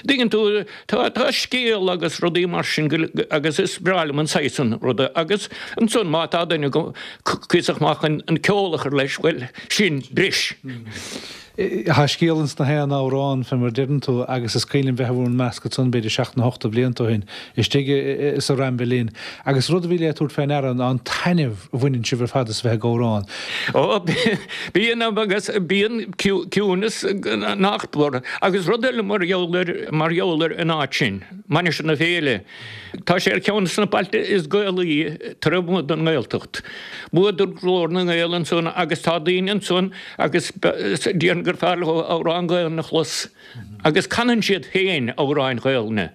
Speaker 7: Tuigeann tú, tá, tá scéal agus rudaí mar sin go, agus is breá liom an saghas san ruda agus ansan má tá duine go cuíosach maith chun an ceol a chur leis, bhuel, sin breis.
Speaker 8: Tá scéal ins na haon amhrán, fé mar a deireann tú, agus is cuimhin liom bheith i bhur measc ansan b'fhéidir seacht nó hocht de bhlianta ó shin, istigh sa Ramble Inn, agus rud a bhí le tabhairt fé ndeara ná an taitneamh a bhaineann sibh ar fad as a bheith ag amhrán.
Speaker 7: Ó, bíonn agus bíonn ciúnas nach mór. Agus rud eile mar gheall ar, mar gheall ar an áit sin, Mainistir na Féile, tá sé ar cheann de na bailte is Gaelaí taobh amuigh den nGaeltacht. Bhuadar Glór na nGael ansan agus tá daoine ansan agus déarfainn gur fearr leo amhrán Gaelainne a chlos agus canann siad féin amhráin Ghaelainne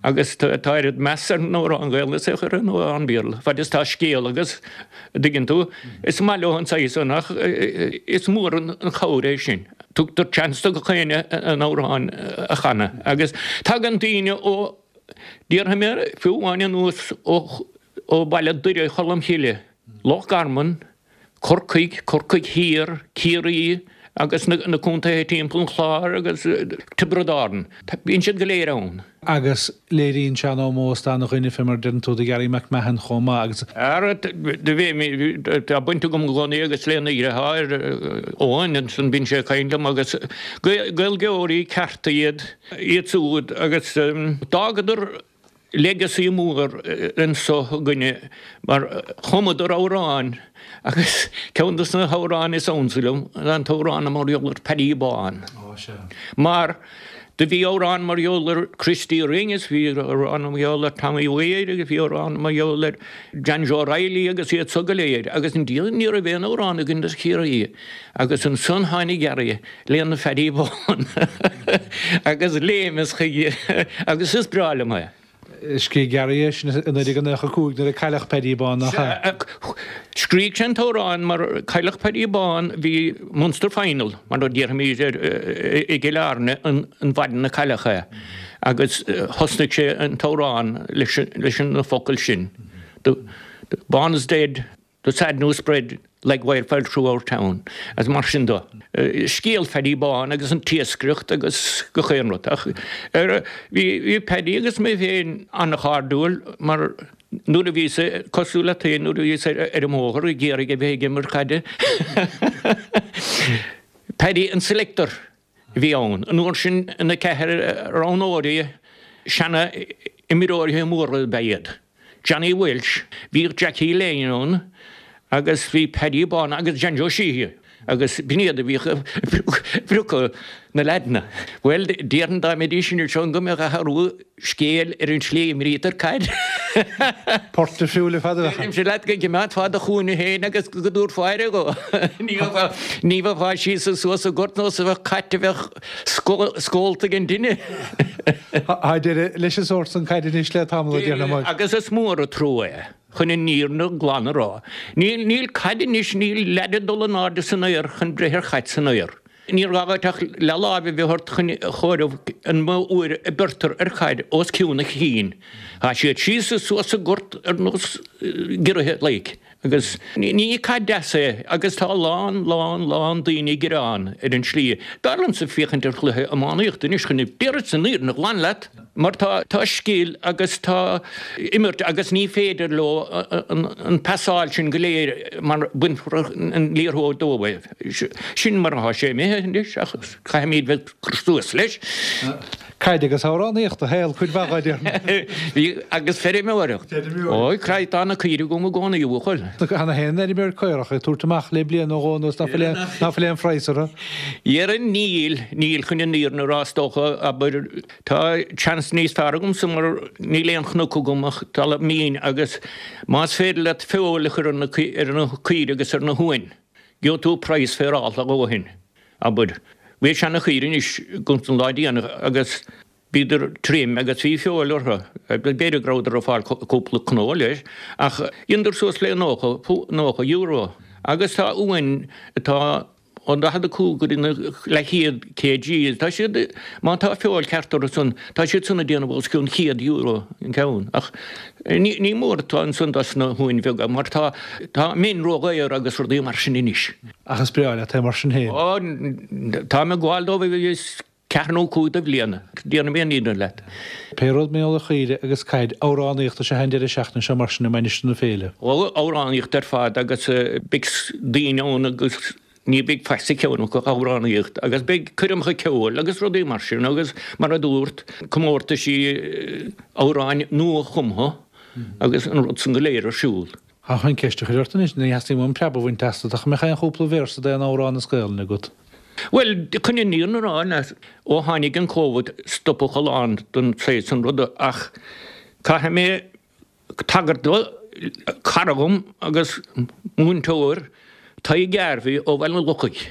Speaker 7: agus tá oiread meas ar an amhrán Gaelainne is ar an amhrán Béarla fad is tá scéal agus an dtuigeann tú, is maith leo an saghas san ach is mór an chabhair é sin. Tugtar chance do gach éinne an amhrán a chanadh agus tagann daoine ó, déarfaidh mé fiú amháin anuas ó bhaile Doire Cholm Chille, Loch Garman, Corcaigh, Corcaigh Thiar, Ciarraí agus na contaetha timpeall an Chláir agus Tiobraid Árann. Bíonn siad go léir ann.
Speaker 8: Agus léiríonn sé an ómós d'ana-dhuine, fé mar a deireann tú, do Gary McMahon chomh maith agus.
Speaker 7: Ara, do bhí mé, tá baint agam i gcónaí agus lena dheartháir Eoin, ansan bíonn sé ag caint liom agus Gaeilgeoirí cearta iad, iad siúd agus d'fhágadar legacy mór anso againne mar chumadar amhráin agus ceann de na hamhráin is ansa liom ná an t-amhrán mar gheall ar Paddy Bán mar do bhí amhrán mar gheall ar Christy Ring is bhí amhrán mar gheall ar Tommy Weir agus bhí amhrán mar gheall ar John Joe Reilly agus iad so go léir agus ní raibh aon amhrán againn do Chiarraí agus ansan tháinig Gary lena Phaddy Bán agus léimeas chuige agus is breá liom é.
Speaker 8: Scrígh Gary é sin i 1995 nuair a cailleadh Paddy Bán, nach ea?
Speaker 7: Scrígh sé an t-amhrán mar cailleadh Paddy Bán, bhí Munster Final, mar a déarfaimid i gCill Airne an mhaidin a cailleadh é agus thosnaigh sé an t-amhrán leis na focail sin, The Bán is dead, The sad news spread like wildfire through our town agus mar sin de. Scéal Phaddy Bán agus an t-iascaireacht agus gach aon rud. Ach bhí Paddy agus mé féin an-chairdiúil mar nuair a bhíos cosúil leat féin nuair a bhíos ar an mbóthar ag iarraidh a bheith ag imirt caide. Paddy an selector a bhí ann. An uair sin na ceathrar roghnóirí seana imreoirí móra ab ea iad. Johnny Walsh, bhíodh Jackie Lane ann agus bhí Paddy Bán agus John Joe Sheehy. Agus b'in iad a bhíodh ag priocadh na leaideanna. Bhuel, déarfainn dá mbeidís anseo go mbeadh athrú scéil ar an tslí a imrítear caid.
Speaker 8: Port difriúil ar fad a bheadh ann.
Speaker 7: Deirimse leat go gcimeádfá do chúinne féin agus go dtabharfá aire dhó. Ní bheifeá síos is suas sa ngort nós a bheadh cat a bheadh scólta ag an dtine.
Speaker 8: Tá deireadh leis an sórt san caide anois le tamall, a déarfainn muid.
Speaker 7: Agus is mór an trua é. Chun an fhírinne glan a rá, níl, níl caid anois, níl leaid ag dul in airde san aer chun breith ar chaid san aer. Níor ghá dhuit ach leathláimh a bheith ort chun a chomhaireamh an mó uair a beirtear ar chaid os cionn a chinn. Tá siad síos is suas sa ngort ar nós giorraithe like. Agus ní caid deas é agus tá a lán, lán, lán daoine ag gearán ar an tslí. B'fhearr liomsa féachaint ar chluiche iománaíochta anois chun, déarfadsa an fhírinne ghlan leat. Mar tá tá scil agus tá imirt agus ní féidir leo an pasáil sin go léir mar bainfear an liathróid dóibh. Sin mar atá sé imithe anois ach caithfimid bheith ag cur suas leis.
Speaker 8: Caid agus amhránaíocht a shaol cuid mhaith dhó, déarfainn.
Speaker 7: Bhí agus feirmeoireacht. Ói, craith tá na caoirigh agam i gcónaí, a bhuachaill.
Speaker 8: Tá na haon fheirmeoir caorach ag tabhairt amach le bliain nó dhó anuas ná fuil aon phraghas orthu.
Speaker 7: Dhéarfainn níl, níl chun an fhírinne a rá is dócha, abair, tá seans níos fearr agamsa mar níl aon chnoc agam ach talamh mín agus más féidir leat feoil a chur ar na caoirigh agus ar na huain, gheobhaidh tú praghas féarálta a dhóthain, abair. Bhí seana-chaoirigh anois agam an lá déanach agus bhíodar trim agus bhí feoil orthu, b'fhéidir go rabhadar ag fáil cúpla cnó leis, ach dheineadar suas le €90 agus tá uain atá Ó 45 go dtí na leathchéad kg, tá siad, má tá feoil cheart orthu san, tá siad san ag déanamh os cionn €100 an ceann. Ach ní, ní mór atá ansan dos na huain bheaga mar tá, tá min ródhaor agus rudaí mar sin anois.
Speaker 8: Ach is breá leat é mar sin féin.
Speaker 7: Ó, táim ag gabháil dóibh is ceathair nó 5 de bhliain, déarfaidh mé an fhírinne leat.
Speaker 8: Pé rud mar gheall ar chaoire agus caid, amhránaíocht is ea an deireadh seachtaine seo mar sin i Mainistir na Féile.
Speaker 7: Ó, amhránaíocht ar fad agus beidh daoine ann agus ní bheidh faic sa cheann acu ach amhránaíocht agus beidh coirmeacha ceoil agus rudaí mar sin agus mar a dúrt, comórtaisí amhráin nua-chumtha agus an rud san go léir ar siúl.
Speaker 8: Tá chun ceist a chur ort anois, ní theastaíonn uaim preab a bhaint asat, ach an mbeadh aon chúpla véarsa d'aon amhrán as Gaolainn agat?
Speaker 7: Bhuel, chun an fhírinne a rá, ó tháinig an Covid stopadh a lán den saghas san ruda ach caithfidh mé tagairt do chara dhom agus múinteoir, Tadhg Garvey ó Bhaile an Lochaigh.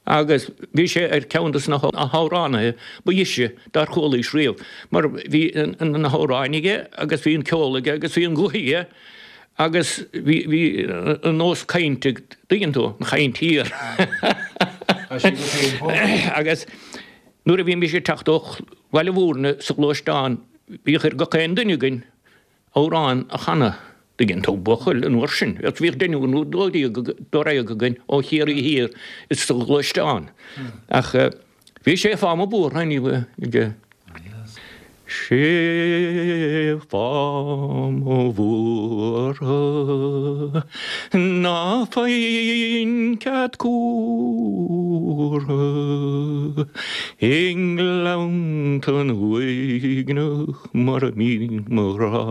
Speaker 7: Agus bhí sé ar cheann de na hamhránaithe ba dheise dár chualaís riamh, mar bhí na hamhráin aige agus bhí an ceol aige agus bhí an guth aige agus bhí bhí an nós cainte, tuigeann tú, an chaint thiar. Agus nuair a bhímis ag teacht ó Bhaile Mhúirne sa ghluaisteán bhíodh ar gach aon duine againn amhrán a chanadh. Tuigeann tú, buachaill, an uair sin, agus bhíodh deichniúr nó dódhéag dáréag againn ó Chiarraí Thiar is sa ghluaisteán. Ach bhí sé fáth mo bhuartha, ní bheadh sé fáth mo bhuartha ná faighinn cead cuartha i nGleanntan uaigneach. Mar a mbíonn mo ghrá.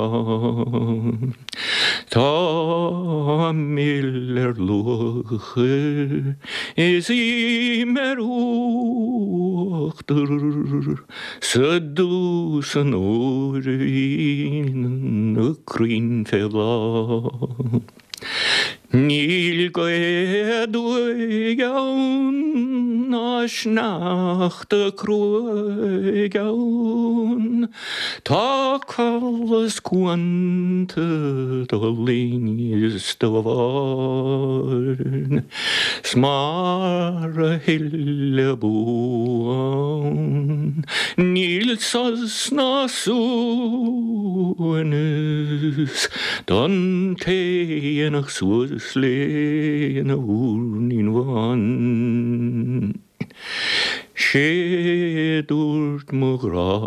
Speaker 7: Tá mil ar luachair is im ar uachtar sa dús an uair a bhíonn na crainn fé bhláth. Níl gaoth aduaidh ann ná sneachta cruaidh ann, Tá coll is cuanta do linn is do bharr, 'S mar a thuilleadh bua ann níl sos ná suaimhneas. Don té dhéanfadh suas lena mhúirnín bhán. Sé dúirt mo ghrá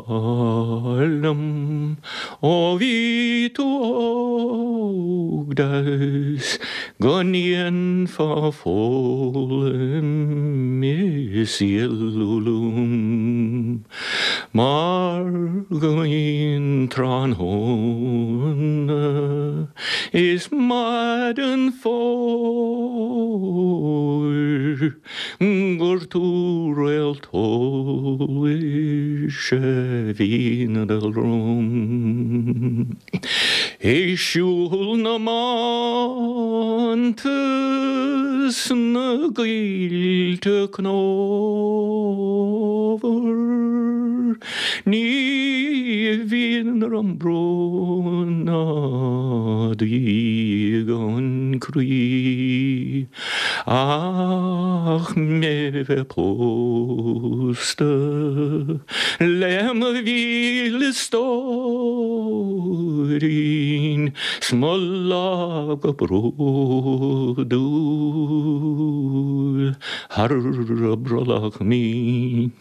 Speaker 7: liom ó bhí tú óg deas go ndéanfá foghlaim is éalú liom. Mar go mbíonn tráthnóna is maidin fómhair. Gur tú réalt eolais a bhíonn ag dul romham. Ag siúl na mbánta 's na gcoillte cnómhar, Ní bhíonn orm brón ná díogan croí. Ach mé bheith pósta le mo mhíle stóirín 's mo lámh go bródúil thar a brollach mín.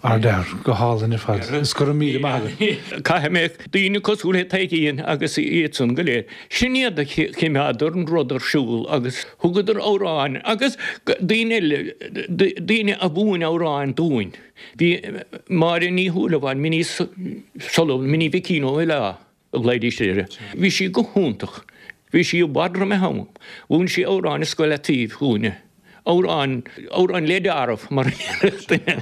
Speaker 8: Ardfhear, go hálainn ar fad. Is go raibh míle maith agat.
Speaker 7: Caithfidh mé daoine cosúil le Taidhgín agus iadsan go léir. Sin iad a choimeádar an rud ar siúl agus thugadar amhráin agus daoine eile, daoine a mhúin amhráin dúinn. Bhí Máire Ní Shúilleabháin, Minnie Sullivan, Minnie Mhicín Ó Mhilleá a ghlaoidís uirthi. Bhí sí go hiontach. Bhí sí i bhfad roimh a ham. Mhúin sí amhráin i scoil Iontaoibh dhúinne. Amhráin, amhráin le deáramh, mar a déarfadh duine.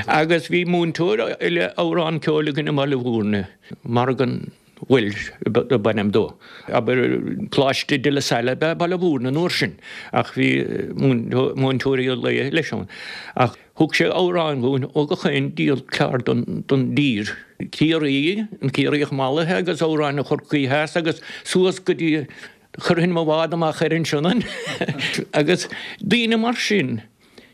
Speaker 7: Agus bhí múinteoir eile amhrán ceoil againn i mBaile Bhúirne, Morgan Walsh ab ainm dó. Abair, Coláiste De La Salle ab ea Baile Bhúirne an uair sin, ach bhí múinteoirí lae leis ann. Ach thug sé amhráin dhúinn ó gach aon diabhal ceard don dtír. Ciarraí, an Ciarraíoch mallaithe agus amhráin Chorcaí Theas agus suas go dtí, chuirfinn mo bhád amach ar an Sionainn agus daoine mar sin.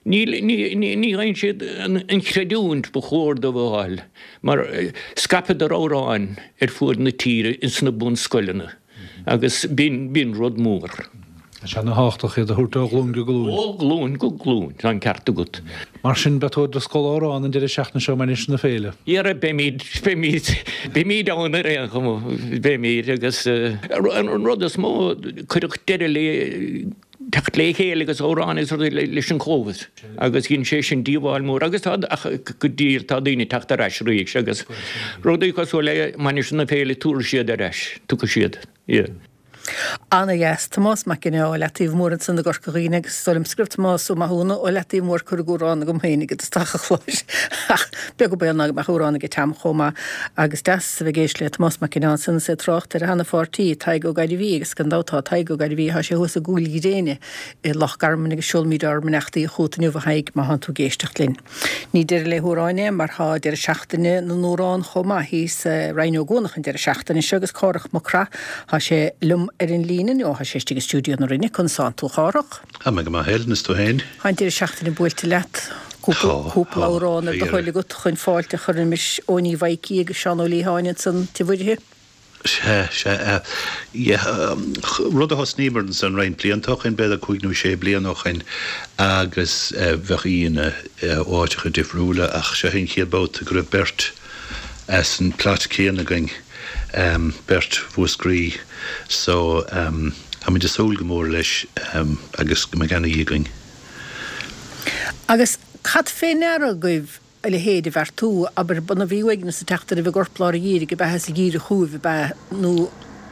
Speaker 7: Ní fhaigheann siad an chreidiúint ba chóir dóibh a fháil mar scaipeadar amhráin ar fuaid na tíre ins na bunscoileanna agus b'in rud mór.
Speaker 8: Tá sé ana-thábhachtach iad a thabhairt ó ghlúin go glúin.
Speaker 7: Ó ghlúin go glúin, tá an ceart agat.
Speaker 8: Mar sin, beidh tú i do scoil amhrán an deireadh seachtaine seo i Mainistir na Féile.
Speaker 7: Dhera, beimid, beimid, beimid ann ar aon chuma, beimid agus an rud is mó, cuireadh deireadh le teacht le chéile agus amhráin agus rudaí leis an Covid agus dhein sé sin díobháil mór agus tá ach go diail tá daoine ag teacht ar ais arís agus rudaí cosúil le Mainistir na Féile tabharfaidh siad ar ais, tiocfaidh siad, yeah.
Speaker 1: Ana-dheas. Tomás Mac Ginneá ó Leataobh Mór ansan i gCorca Dhuibhne agus is dóigh liomsa go raibh Tomás Ó Mathúna ó Leataobh Mór curtha d'amhrán agam féin i dtosach an chláir ach beag an baol ná go mbeadh amhrán aige Tom chomh maith agus deas a bheith ag éisteacht le Tomás Mac Ginneá ansan is é ag trácht ar a sheana-pháirtí, Tadhg Ó Gairbhí agus gan dabht tá Tadhg Ó Gairbhí, tá sé thuas i gCúil Ghréine i Loch Garman agus seolaimid ár mbeannachtaí chugat inniu a Thaidhg má thánn tú ag éisteacht linn. Ní deireadh le hamhráin é mar tá deireadh seachtaine na n-amhrán chomh maith thíos i Rinn Ó gCuanach an deireadh seachtaine seo agus Cárthach Mac Craith, tá sé liom ar an líne nó tá sé istigh i stiúideo na Rinne, conas tánn tú a Chárthach?
Speaker 9: Tá mé go maith Helen, is tú féin?
Speaker 1: Tá an deireadh seachtaine buailte leat. Cúpla amhrán ar do thoil agat chun fáilte a chur roimis Eoiní Mhaidhcí agus Seán Ó Liatháin ansan Tigh Mhuirthile.
Speaker 9: Sea, sea. Yeah. Rud a thosnaíomar ansan roinnt blianta ó shin, b'fhéidir cúig nó sé bliana ó shin, agus bheadh aíonna ó áiteacha difriúla ach seo é an chéad babhta go raibh beirt as an plot céanna againn, beirt Mhúscraí. So, táimid ag súil go mór leis agus go mbeidh ana-oíche againn.
Speaker 1: Agus cad fé ndeara agaibh a leithéid a bheartú, abair, b'ionadh bhí uaigneas ag teacht oraibh i gcorplár an gheimhridh ab ea is ag iarraidh chugaibh ab ea nó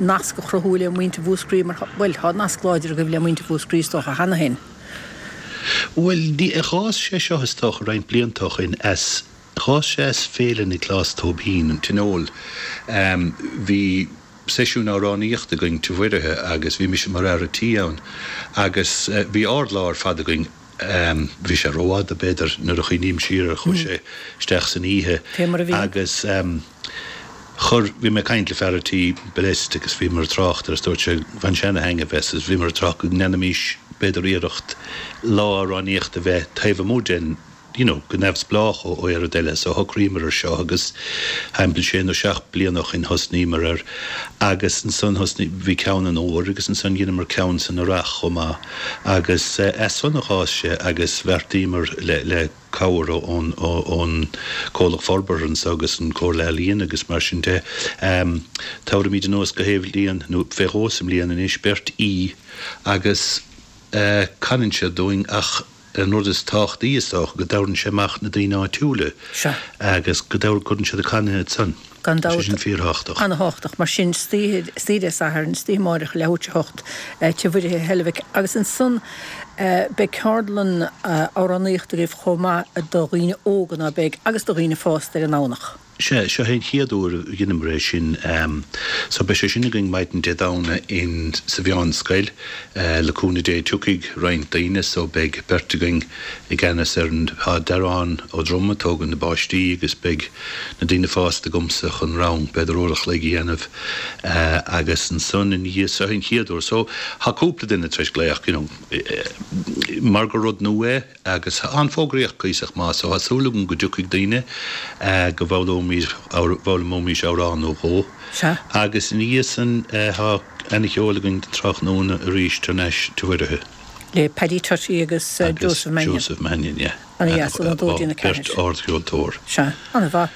Speaker 1: nasc a chruthú le muintir Mhúscraí mar bhuel, tá nasc láidir agaibh le muintir Mhúscraí is dócha cheana féin.
Speaker 9: Bhuel, ní, dh'fhás sé seo is dócha roinnt blianta ó shin as, dh'fhás sé as Féile Nioclás Tóibín, an Tionól. Bhí seisiún amhránaíochta againn Tigh Mhuirithe agus bhí mise mar fhear a' tí ann agus bhí ard-lá ar fad againn. Bhí sé rófhada, b'fhéidir, nuair a chuimhním siar air, chuaigh sé isteach san oíche
Speaker 1: Fé mar a bhí.
Speaker 9: agus chuir, bhí mé ag caint le fear a' tí, Bill Est, agus bhíomar ag trácht air agus dúirt sé, bhain sé ana-thaitneamh as agus bhíomar ag trácht go ndéanfaimis, b'fhéidir, iarracht lá amhránaíochta a bheith taobh amuigh den, you know, go neamhspleách ó aon rud eile. So shocraíomar ar seo agus thimpeall sé nó seacht bliana ó shin thosnaíomar air agus ansan thosnaigh, bhí ceann an fhómhair agus ansan dheineamar ceann san earrach chomh maith agus as san a dh'fhás sé agus bheartaíomar le, le cabhair ón, ón Comhlacht Forbartha anso agus an Comhairle Ealaíon agus mar sin de, tabharfaimid anuas go haon bhliain nó fé dhó sa mbliain anois beirt aoi agus canann siad dúinn ach An rud is tábhachtaí is dócha go dtabharann sé amach na daoine áitiúla agus go gcuireann siad ag canadh iad san.
Speaker 1: Gan
Speaker 9: Tá sé
Speaker 1: dabht.
Speaker 9: sin fíorthábhachtach.
Speaker 1: Ana-thábhachtach. Mar sin, istoíche, istoíche Dé Sathairn, istoíche amáireach, leathuair tar éis a hocht, Tigh Mhuirithe i Heilbhic. Agus ansan beidh ceardlann amhránaíochta agaibh chomh maith do dhaoine óga, ná beidh, agus do dhaoine fásta ar an nDomhnach.
Speaker 9: Sea, seo é an chéad uair a dheineamar é sin. So beidh sé sin againn maidin Dé Domhnaigh in sa Mheánscoil. Le cúnamh Dé tiocfaidh roinnt daoine so beidh beirt againn i gceannas ar an, tá Darán Ó Droma ag tógaint na bpáistí agus beidh na daoine fásta agamsa chun rang b'fhéidir uair a chloig a dhéanamh agus ansan ina dhiaidh, seo an chéad uair so tá cúpla duine tar éis glaoch you know mar gur rud nua é. Agus tá an fógraíocht cuíosach maith so tá súil agam go dtiocfaidh daoine, go bhfoghlaimeoimís amhrán nó dhó.
Speaker 1: Sea.
Speaker 9: Agus ina dhiaidh san tá ana-cheol againn don tráthnóna arís thar n-ais Tigh Mhuirithe.
Speaker 1: Le Paddy Tutty agus Joseph Mannion.
Speaker 9: Agus Joseph Mannion, yeah.
Speaker 1: Ana-dheas, óna dó dtí'n a ceathair.
Speaker 9: Beirt ardcheoltóir.
Speaker 1: Sea, ana-mhaith.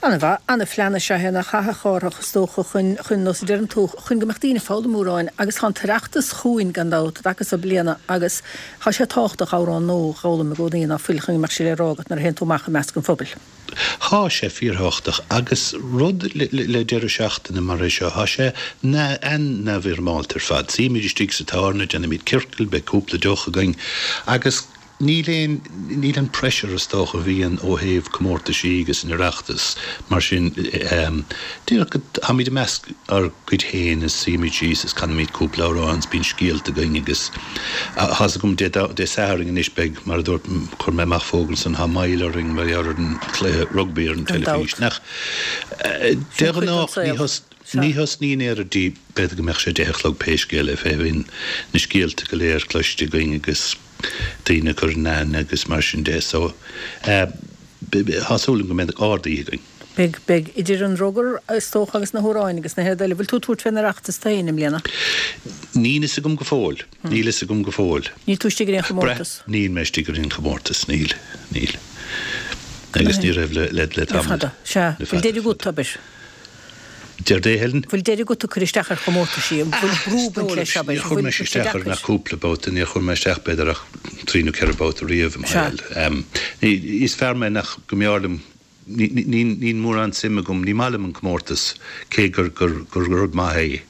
Speaker 1: Ana-mhaith. Ana-phlean is ea é nach ea, a Chárthach, is dócha, chun, chun, nós a deireann tú, chun go mbeadh daoine ag foghlaim amhráin agus tá an tOireachtas chugainn gan dabht, i dtaca so bliana agus Tá sé tábhachtach amhrán nó dhó a dh'fhoghlaim i gcónaí ná fuil chun go mbeadh sé le rá agat nuair a théann tú amach i measc an phobail.
Speaker 9: Tá sé fíorthábhachtach agus rud le deireadh seachtaine mar é seo, tá sé an-neamhfhoirmeálta ar fad. Suímid istigh sa tábhairne, déanaimid ciorcal, beidh cúpla deoch againn agus níl aon, níl an pressure is dócha a bhíonn ó thaobh comórtaisí agus an Oireachtas mar sin. Díreach go, táimid i measc ár gcuid féin is suímid síos is canaimid cúpla amhrán is bíonn scéalta againn agus. Tá's agam Dé Dé Sathairn anois beidh, mar a dúirt, chuir mé amach fógra ansan, tá moill orainn mar gheall ar an chluiche rugbaí ar an
Speaker 1: Gan
Speaker 9: teilifís.
Speaker 1: dabht.
Speaker 9: Nach, de
Speaker 1: Sin cuid den
Speaker 9: ghnách ní
Speaker 1: saol.
Speaker 9: thos,
Speaker 1: Sea.
Speaker 9: ní thosnaíonn ar dtí, b'fhéidir go mbeadh sé deich a chlog pé scéal é, fé bhíonn na scéalta go léir cloiste againn agus daoine ag cur in aithne agus mar sin de so, tá súil agam go mbeidh ard-oíche againn.
Speaker 1: Beidh, beidh. Idir an rugar, is dócha, agus na hamhráin agus na rudaí eile. Bhfuil tú ag tabhairt fén Oireachtas tú féin i mbliana?
Speaker 9: Níl fhios agam go fóill. Níl fhios agam go fóill.
Speaker 1: Níl tú istigh ar aon chomórtas?
Speaker 9: Níl mé istigh ar aon chomórtas, níl, níl. Agus ní raibh le, le, le
Speaker 1: Le
Speaker 9: tamall.
Speaker 1: fada, sea.
Speaker 9: Le
Speaker 1: Bhfuil
Speaker 9: fada,
Speaker 1: deireadh agat,
Speaker 9: fada.
Speaker 1: abair?
Speaker 9: Céard é, Helen?
Speaker 1: Bhfuil deireadh agat ag cur isteach ar chomórtaisí? An bhfuil brú ag baint leis, abair?
Speaker 9: Níor chuir mé isteach ar ach cúpla babhta, níor chuir mé isteach b'fhéidir ach trí nó ceithre babhta riamh i mo
Speaker 1: Sea.
Speaker 9: shaol. Is fear mé nach, go mb'fhearr liom Níl mórán suim agam, ní maith liom an comórtas, cé gur rud maith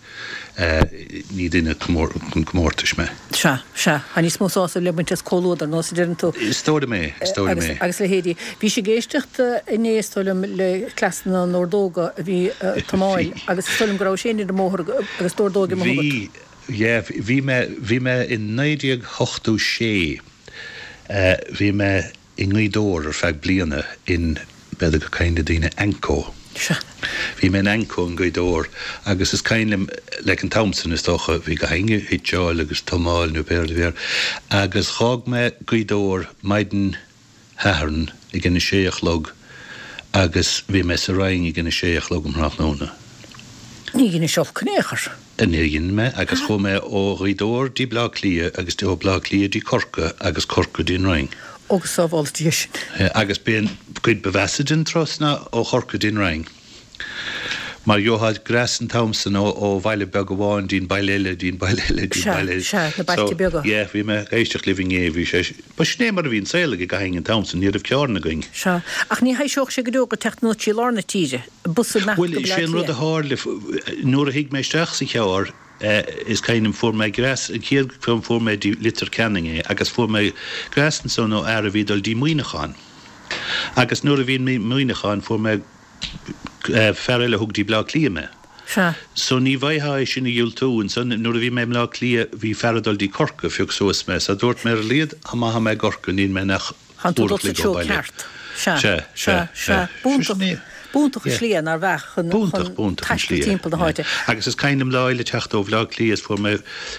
Speaker 9: é, ní duine chun comórtais mé.
Speaker 1: Sea, sea. Tá níos mó sásaimh le baint as comhluadar, nós a deireann tú.
Speaker 9: Is dóigh liom é, is dóigh liom é.
Speaker 1: Agus leithéidí. Bhís ag éisteacht inné, is dóigh liom, le Cleasanna na nOrdóga a bhí ag Tomáil agus is dóigh liom go rabhais féin ar an mbóthar agus d'ordóig amuigh agat.
Speaker 9: Bhí, yeah, bhí mé, bhí mé in 1986, bhí mé, i nGaoth Dobhair ar feadh bliana in, b'fhéidir gur cuimhin le daoine, Anco.
Speaker 1: Sea.
Speaker 9: Bhí mé in Anco in Gaoth Dobhair agus is cuimhin liom, like an t-am san is dócha, bhí gach éinne ag hitseáil agus tomáil nó pé rud a bhí air agus dh'fhág mé Gaoth Dobhair maidin Shathairn ag an a sé a chlog agus bhí mé sa Rinn ag an a sé a chlog um thráthnóna.
Speaker 1: Ní dheinis olc in aon chor.
Speaker 9: Níor dhein mé, agus chuaigh mé ó Ghaoth Dobhair dtí Bleá Cliath agus ó Bleá Cliath dtí Corcaigh agus Corcaigh dtí an Rinn.
Speaker 1: Ó go sábhála Dia sinn.
Speaker 9: Agus b'é an cuid ba mheasa den turas ná ó Chorcaigh dtí an Rinn. Mar gheofá greas an t-am san ó bhaile beag amháin dtí'n baile eile, dtí'n baile eile, dtí'n baile eile.
Speaker 1: Sea, sea, na bailte beaga.
Speaker 9: So, yeah, bhí mé ag éisteacht libh inné, bhí sé, ba sin é mar a bhí an saol ag gach éinne an t-am san, ní raibh carranna againn.
Speaker 1: Sea, ach ní thaibhseodh sé go deo dhuit teacht anuas trí lár na tíre. bus ag imeacht
Speaker 9: Bhuel,
Speaker 1: go Bleá
Speaker 9: sé an rud a
Speaker 1: Cliath.
Speaker 9: tharla, nuair a shuigh mé isteach sa charr, is cuimhin liom, fuair mé greas, an chéad cheann fuair mé dtí Leitir Ceanainn é agus fuair mé greas ansan ó fhear a bhí ag dul dtí Muineachán. Agus nuair a bhí i Muineachán fuair mé fear eile a thug dtí Bleá Cliath mé.
Speaker 1: Sea.
Speaker 9: So ní bhfaightheá é sin a dhiúltú. Ansan nuair a bhí mé i mBleá Cliath bhí fear ag dul dtí Corcaigh a phioc suas mé. So dúirt mé ar a laghad má tá mé i gCorcaigh níl mé nach
Speaker 1: Tánn tú
Speaker 9: uair
Speaker 1: dul
Speaker 9: a
Speaker 1: sa
Speaker 9: chloig ó
Speaker 1: treo
Speaker 9: bhaile.
Speaker 1: ceart. Sea.
Speaker 9: Sea,
Speaker 1: Sea,
Speaker 9: sea,
Speaker 1: sea.
Speaker 9: sea.
Speaker 1: B'iontach,
Speaker 9: Sin é.
Speaker 1: b'iontach an
Speaker 9: Yeah.
Speaker 1: slí é, nár bheadh, chun,
Speaker 9: B'iontach,
Speaker 1: chun
Speaker 9: b'iontach an
Speaker 1: taisteal
Speaker 9: slí é.
Speaker 1: timpeall na
Speaker 9: Yeah.
Speaker 1: háite.
Speaker 9: Agus is cuimhin liom lá eile teacht ó Bhleá Cliath is fuair mé,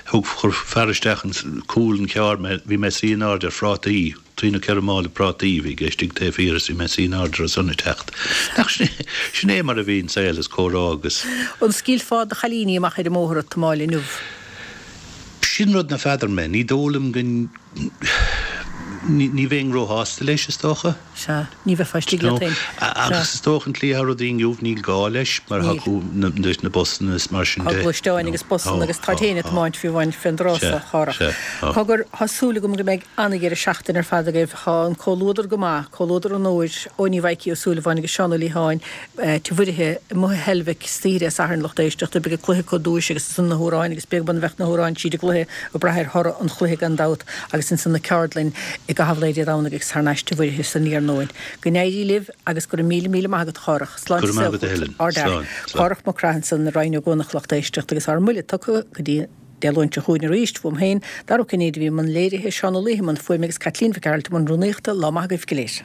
Speaker 9: thug, chuir fear isteach in cúl an chairr mé, bhí mé ag suí in airde ar phrátaí, trí nó ceithre mála prátaí a bhí aige istigh taobh thiar is bhí mé ag suí in airde ar san ag teacht. Nach sin é, sin é mar a bhí an saol is comhrá agus.
Speaker 1: An scaoilfeá do chailíní amach ar an mbóthar a Thomáil inniu?
Speaker 9: Sin rud ná feadar mé. Ní dóigh liom go, ní bheinn róshásta leis, is dócha.
Speaker 1: Sea, ní bheifeá istigh leat féin.
Speaker 9: Agus is dócha an tslí atá rudaí inniu níl gá leis mar tá acu na busanna is mar sin
Speaker 1: de.
Speaker 9: Tá
Speaker 1: gluaisteáin agus busanna agus táid féin ag tiomáint fiú amháin fén dtráth so, a Chárthach. Cogar, tá súil agam go mbeidh an-dheireadh seachtaine ar fad agaibh. Tá an comhluadar go maith, comhluadar onóir, Eoiní Mhaidhcí Ó Súilleabháin agus Seán Ó Liatháin, Tigh Mhuirithe, amuigh i Heilbhic, istoíche Dé Sathairn, lucht éisteachta, beidh an cluiche acu duais agus ansan na hamhráin agus beag beann a bheadh na hamhráin tríd an gcluiche ag brath ar thoradh an chluiche gan dabht agus ansan na ceardlainn i gcaitheamh lae Dé Domhnaigh agus thar n-ais Tigh Mhuirithe san iarnóin. Go n-éirí libh agus go raibh míle míle maith agat a Chárthach.
Speaker 9: Sláinte Go raibh maith agat a Helen.
Speaker 1: Slán. Cárthach Mac Craith ansan i Rinn Ó gCuanach lucht éisteachta agus ár mbuille tugtha go dtí Dé Luain seo chugainn arís, uaim féin, Dara Ó Cinnéide a bhí i mbun léirithe, Seán Ó Laoithe i mbun fuaime agus Caitlín Mhic Gearailt i mbun rúnaíochta, lá maith agaibh go léir.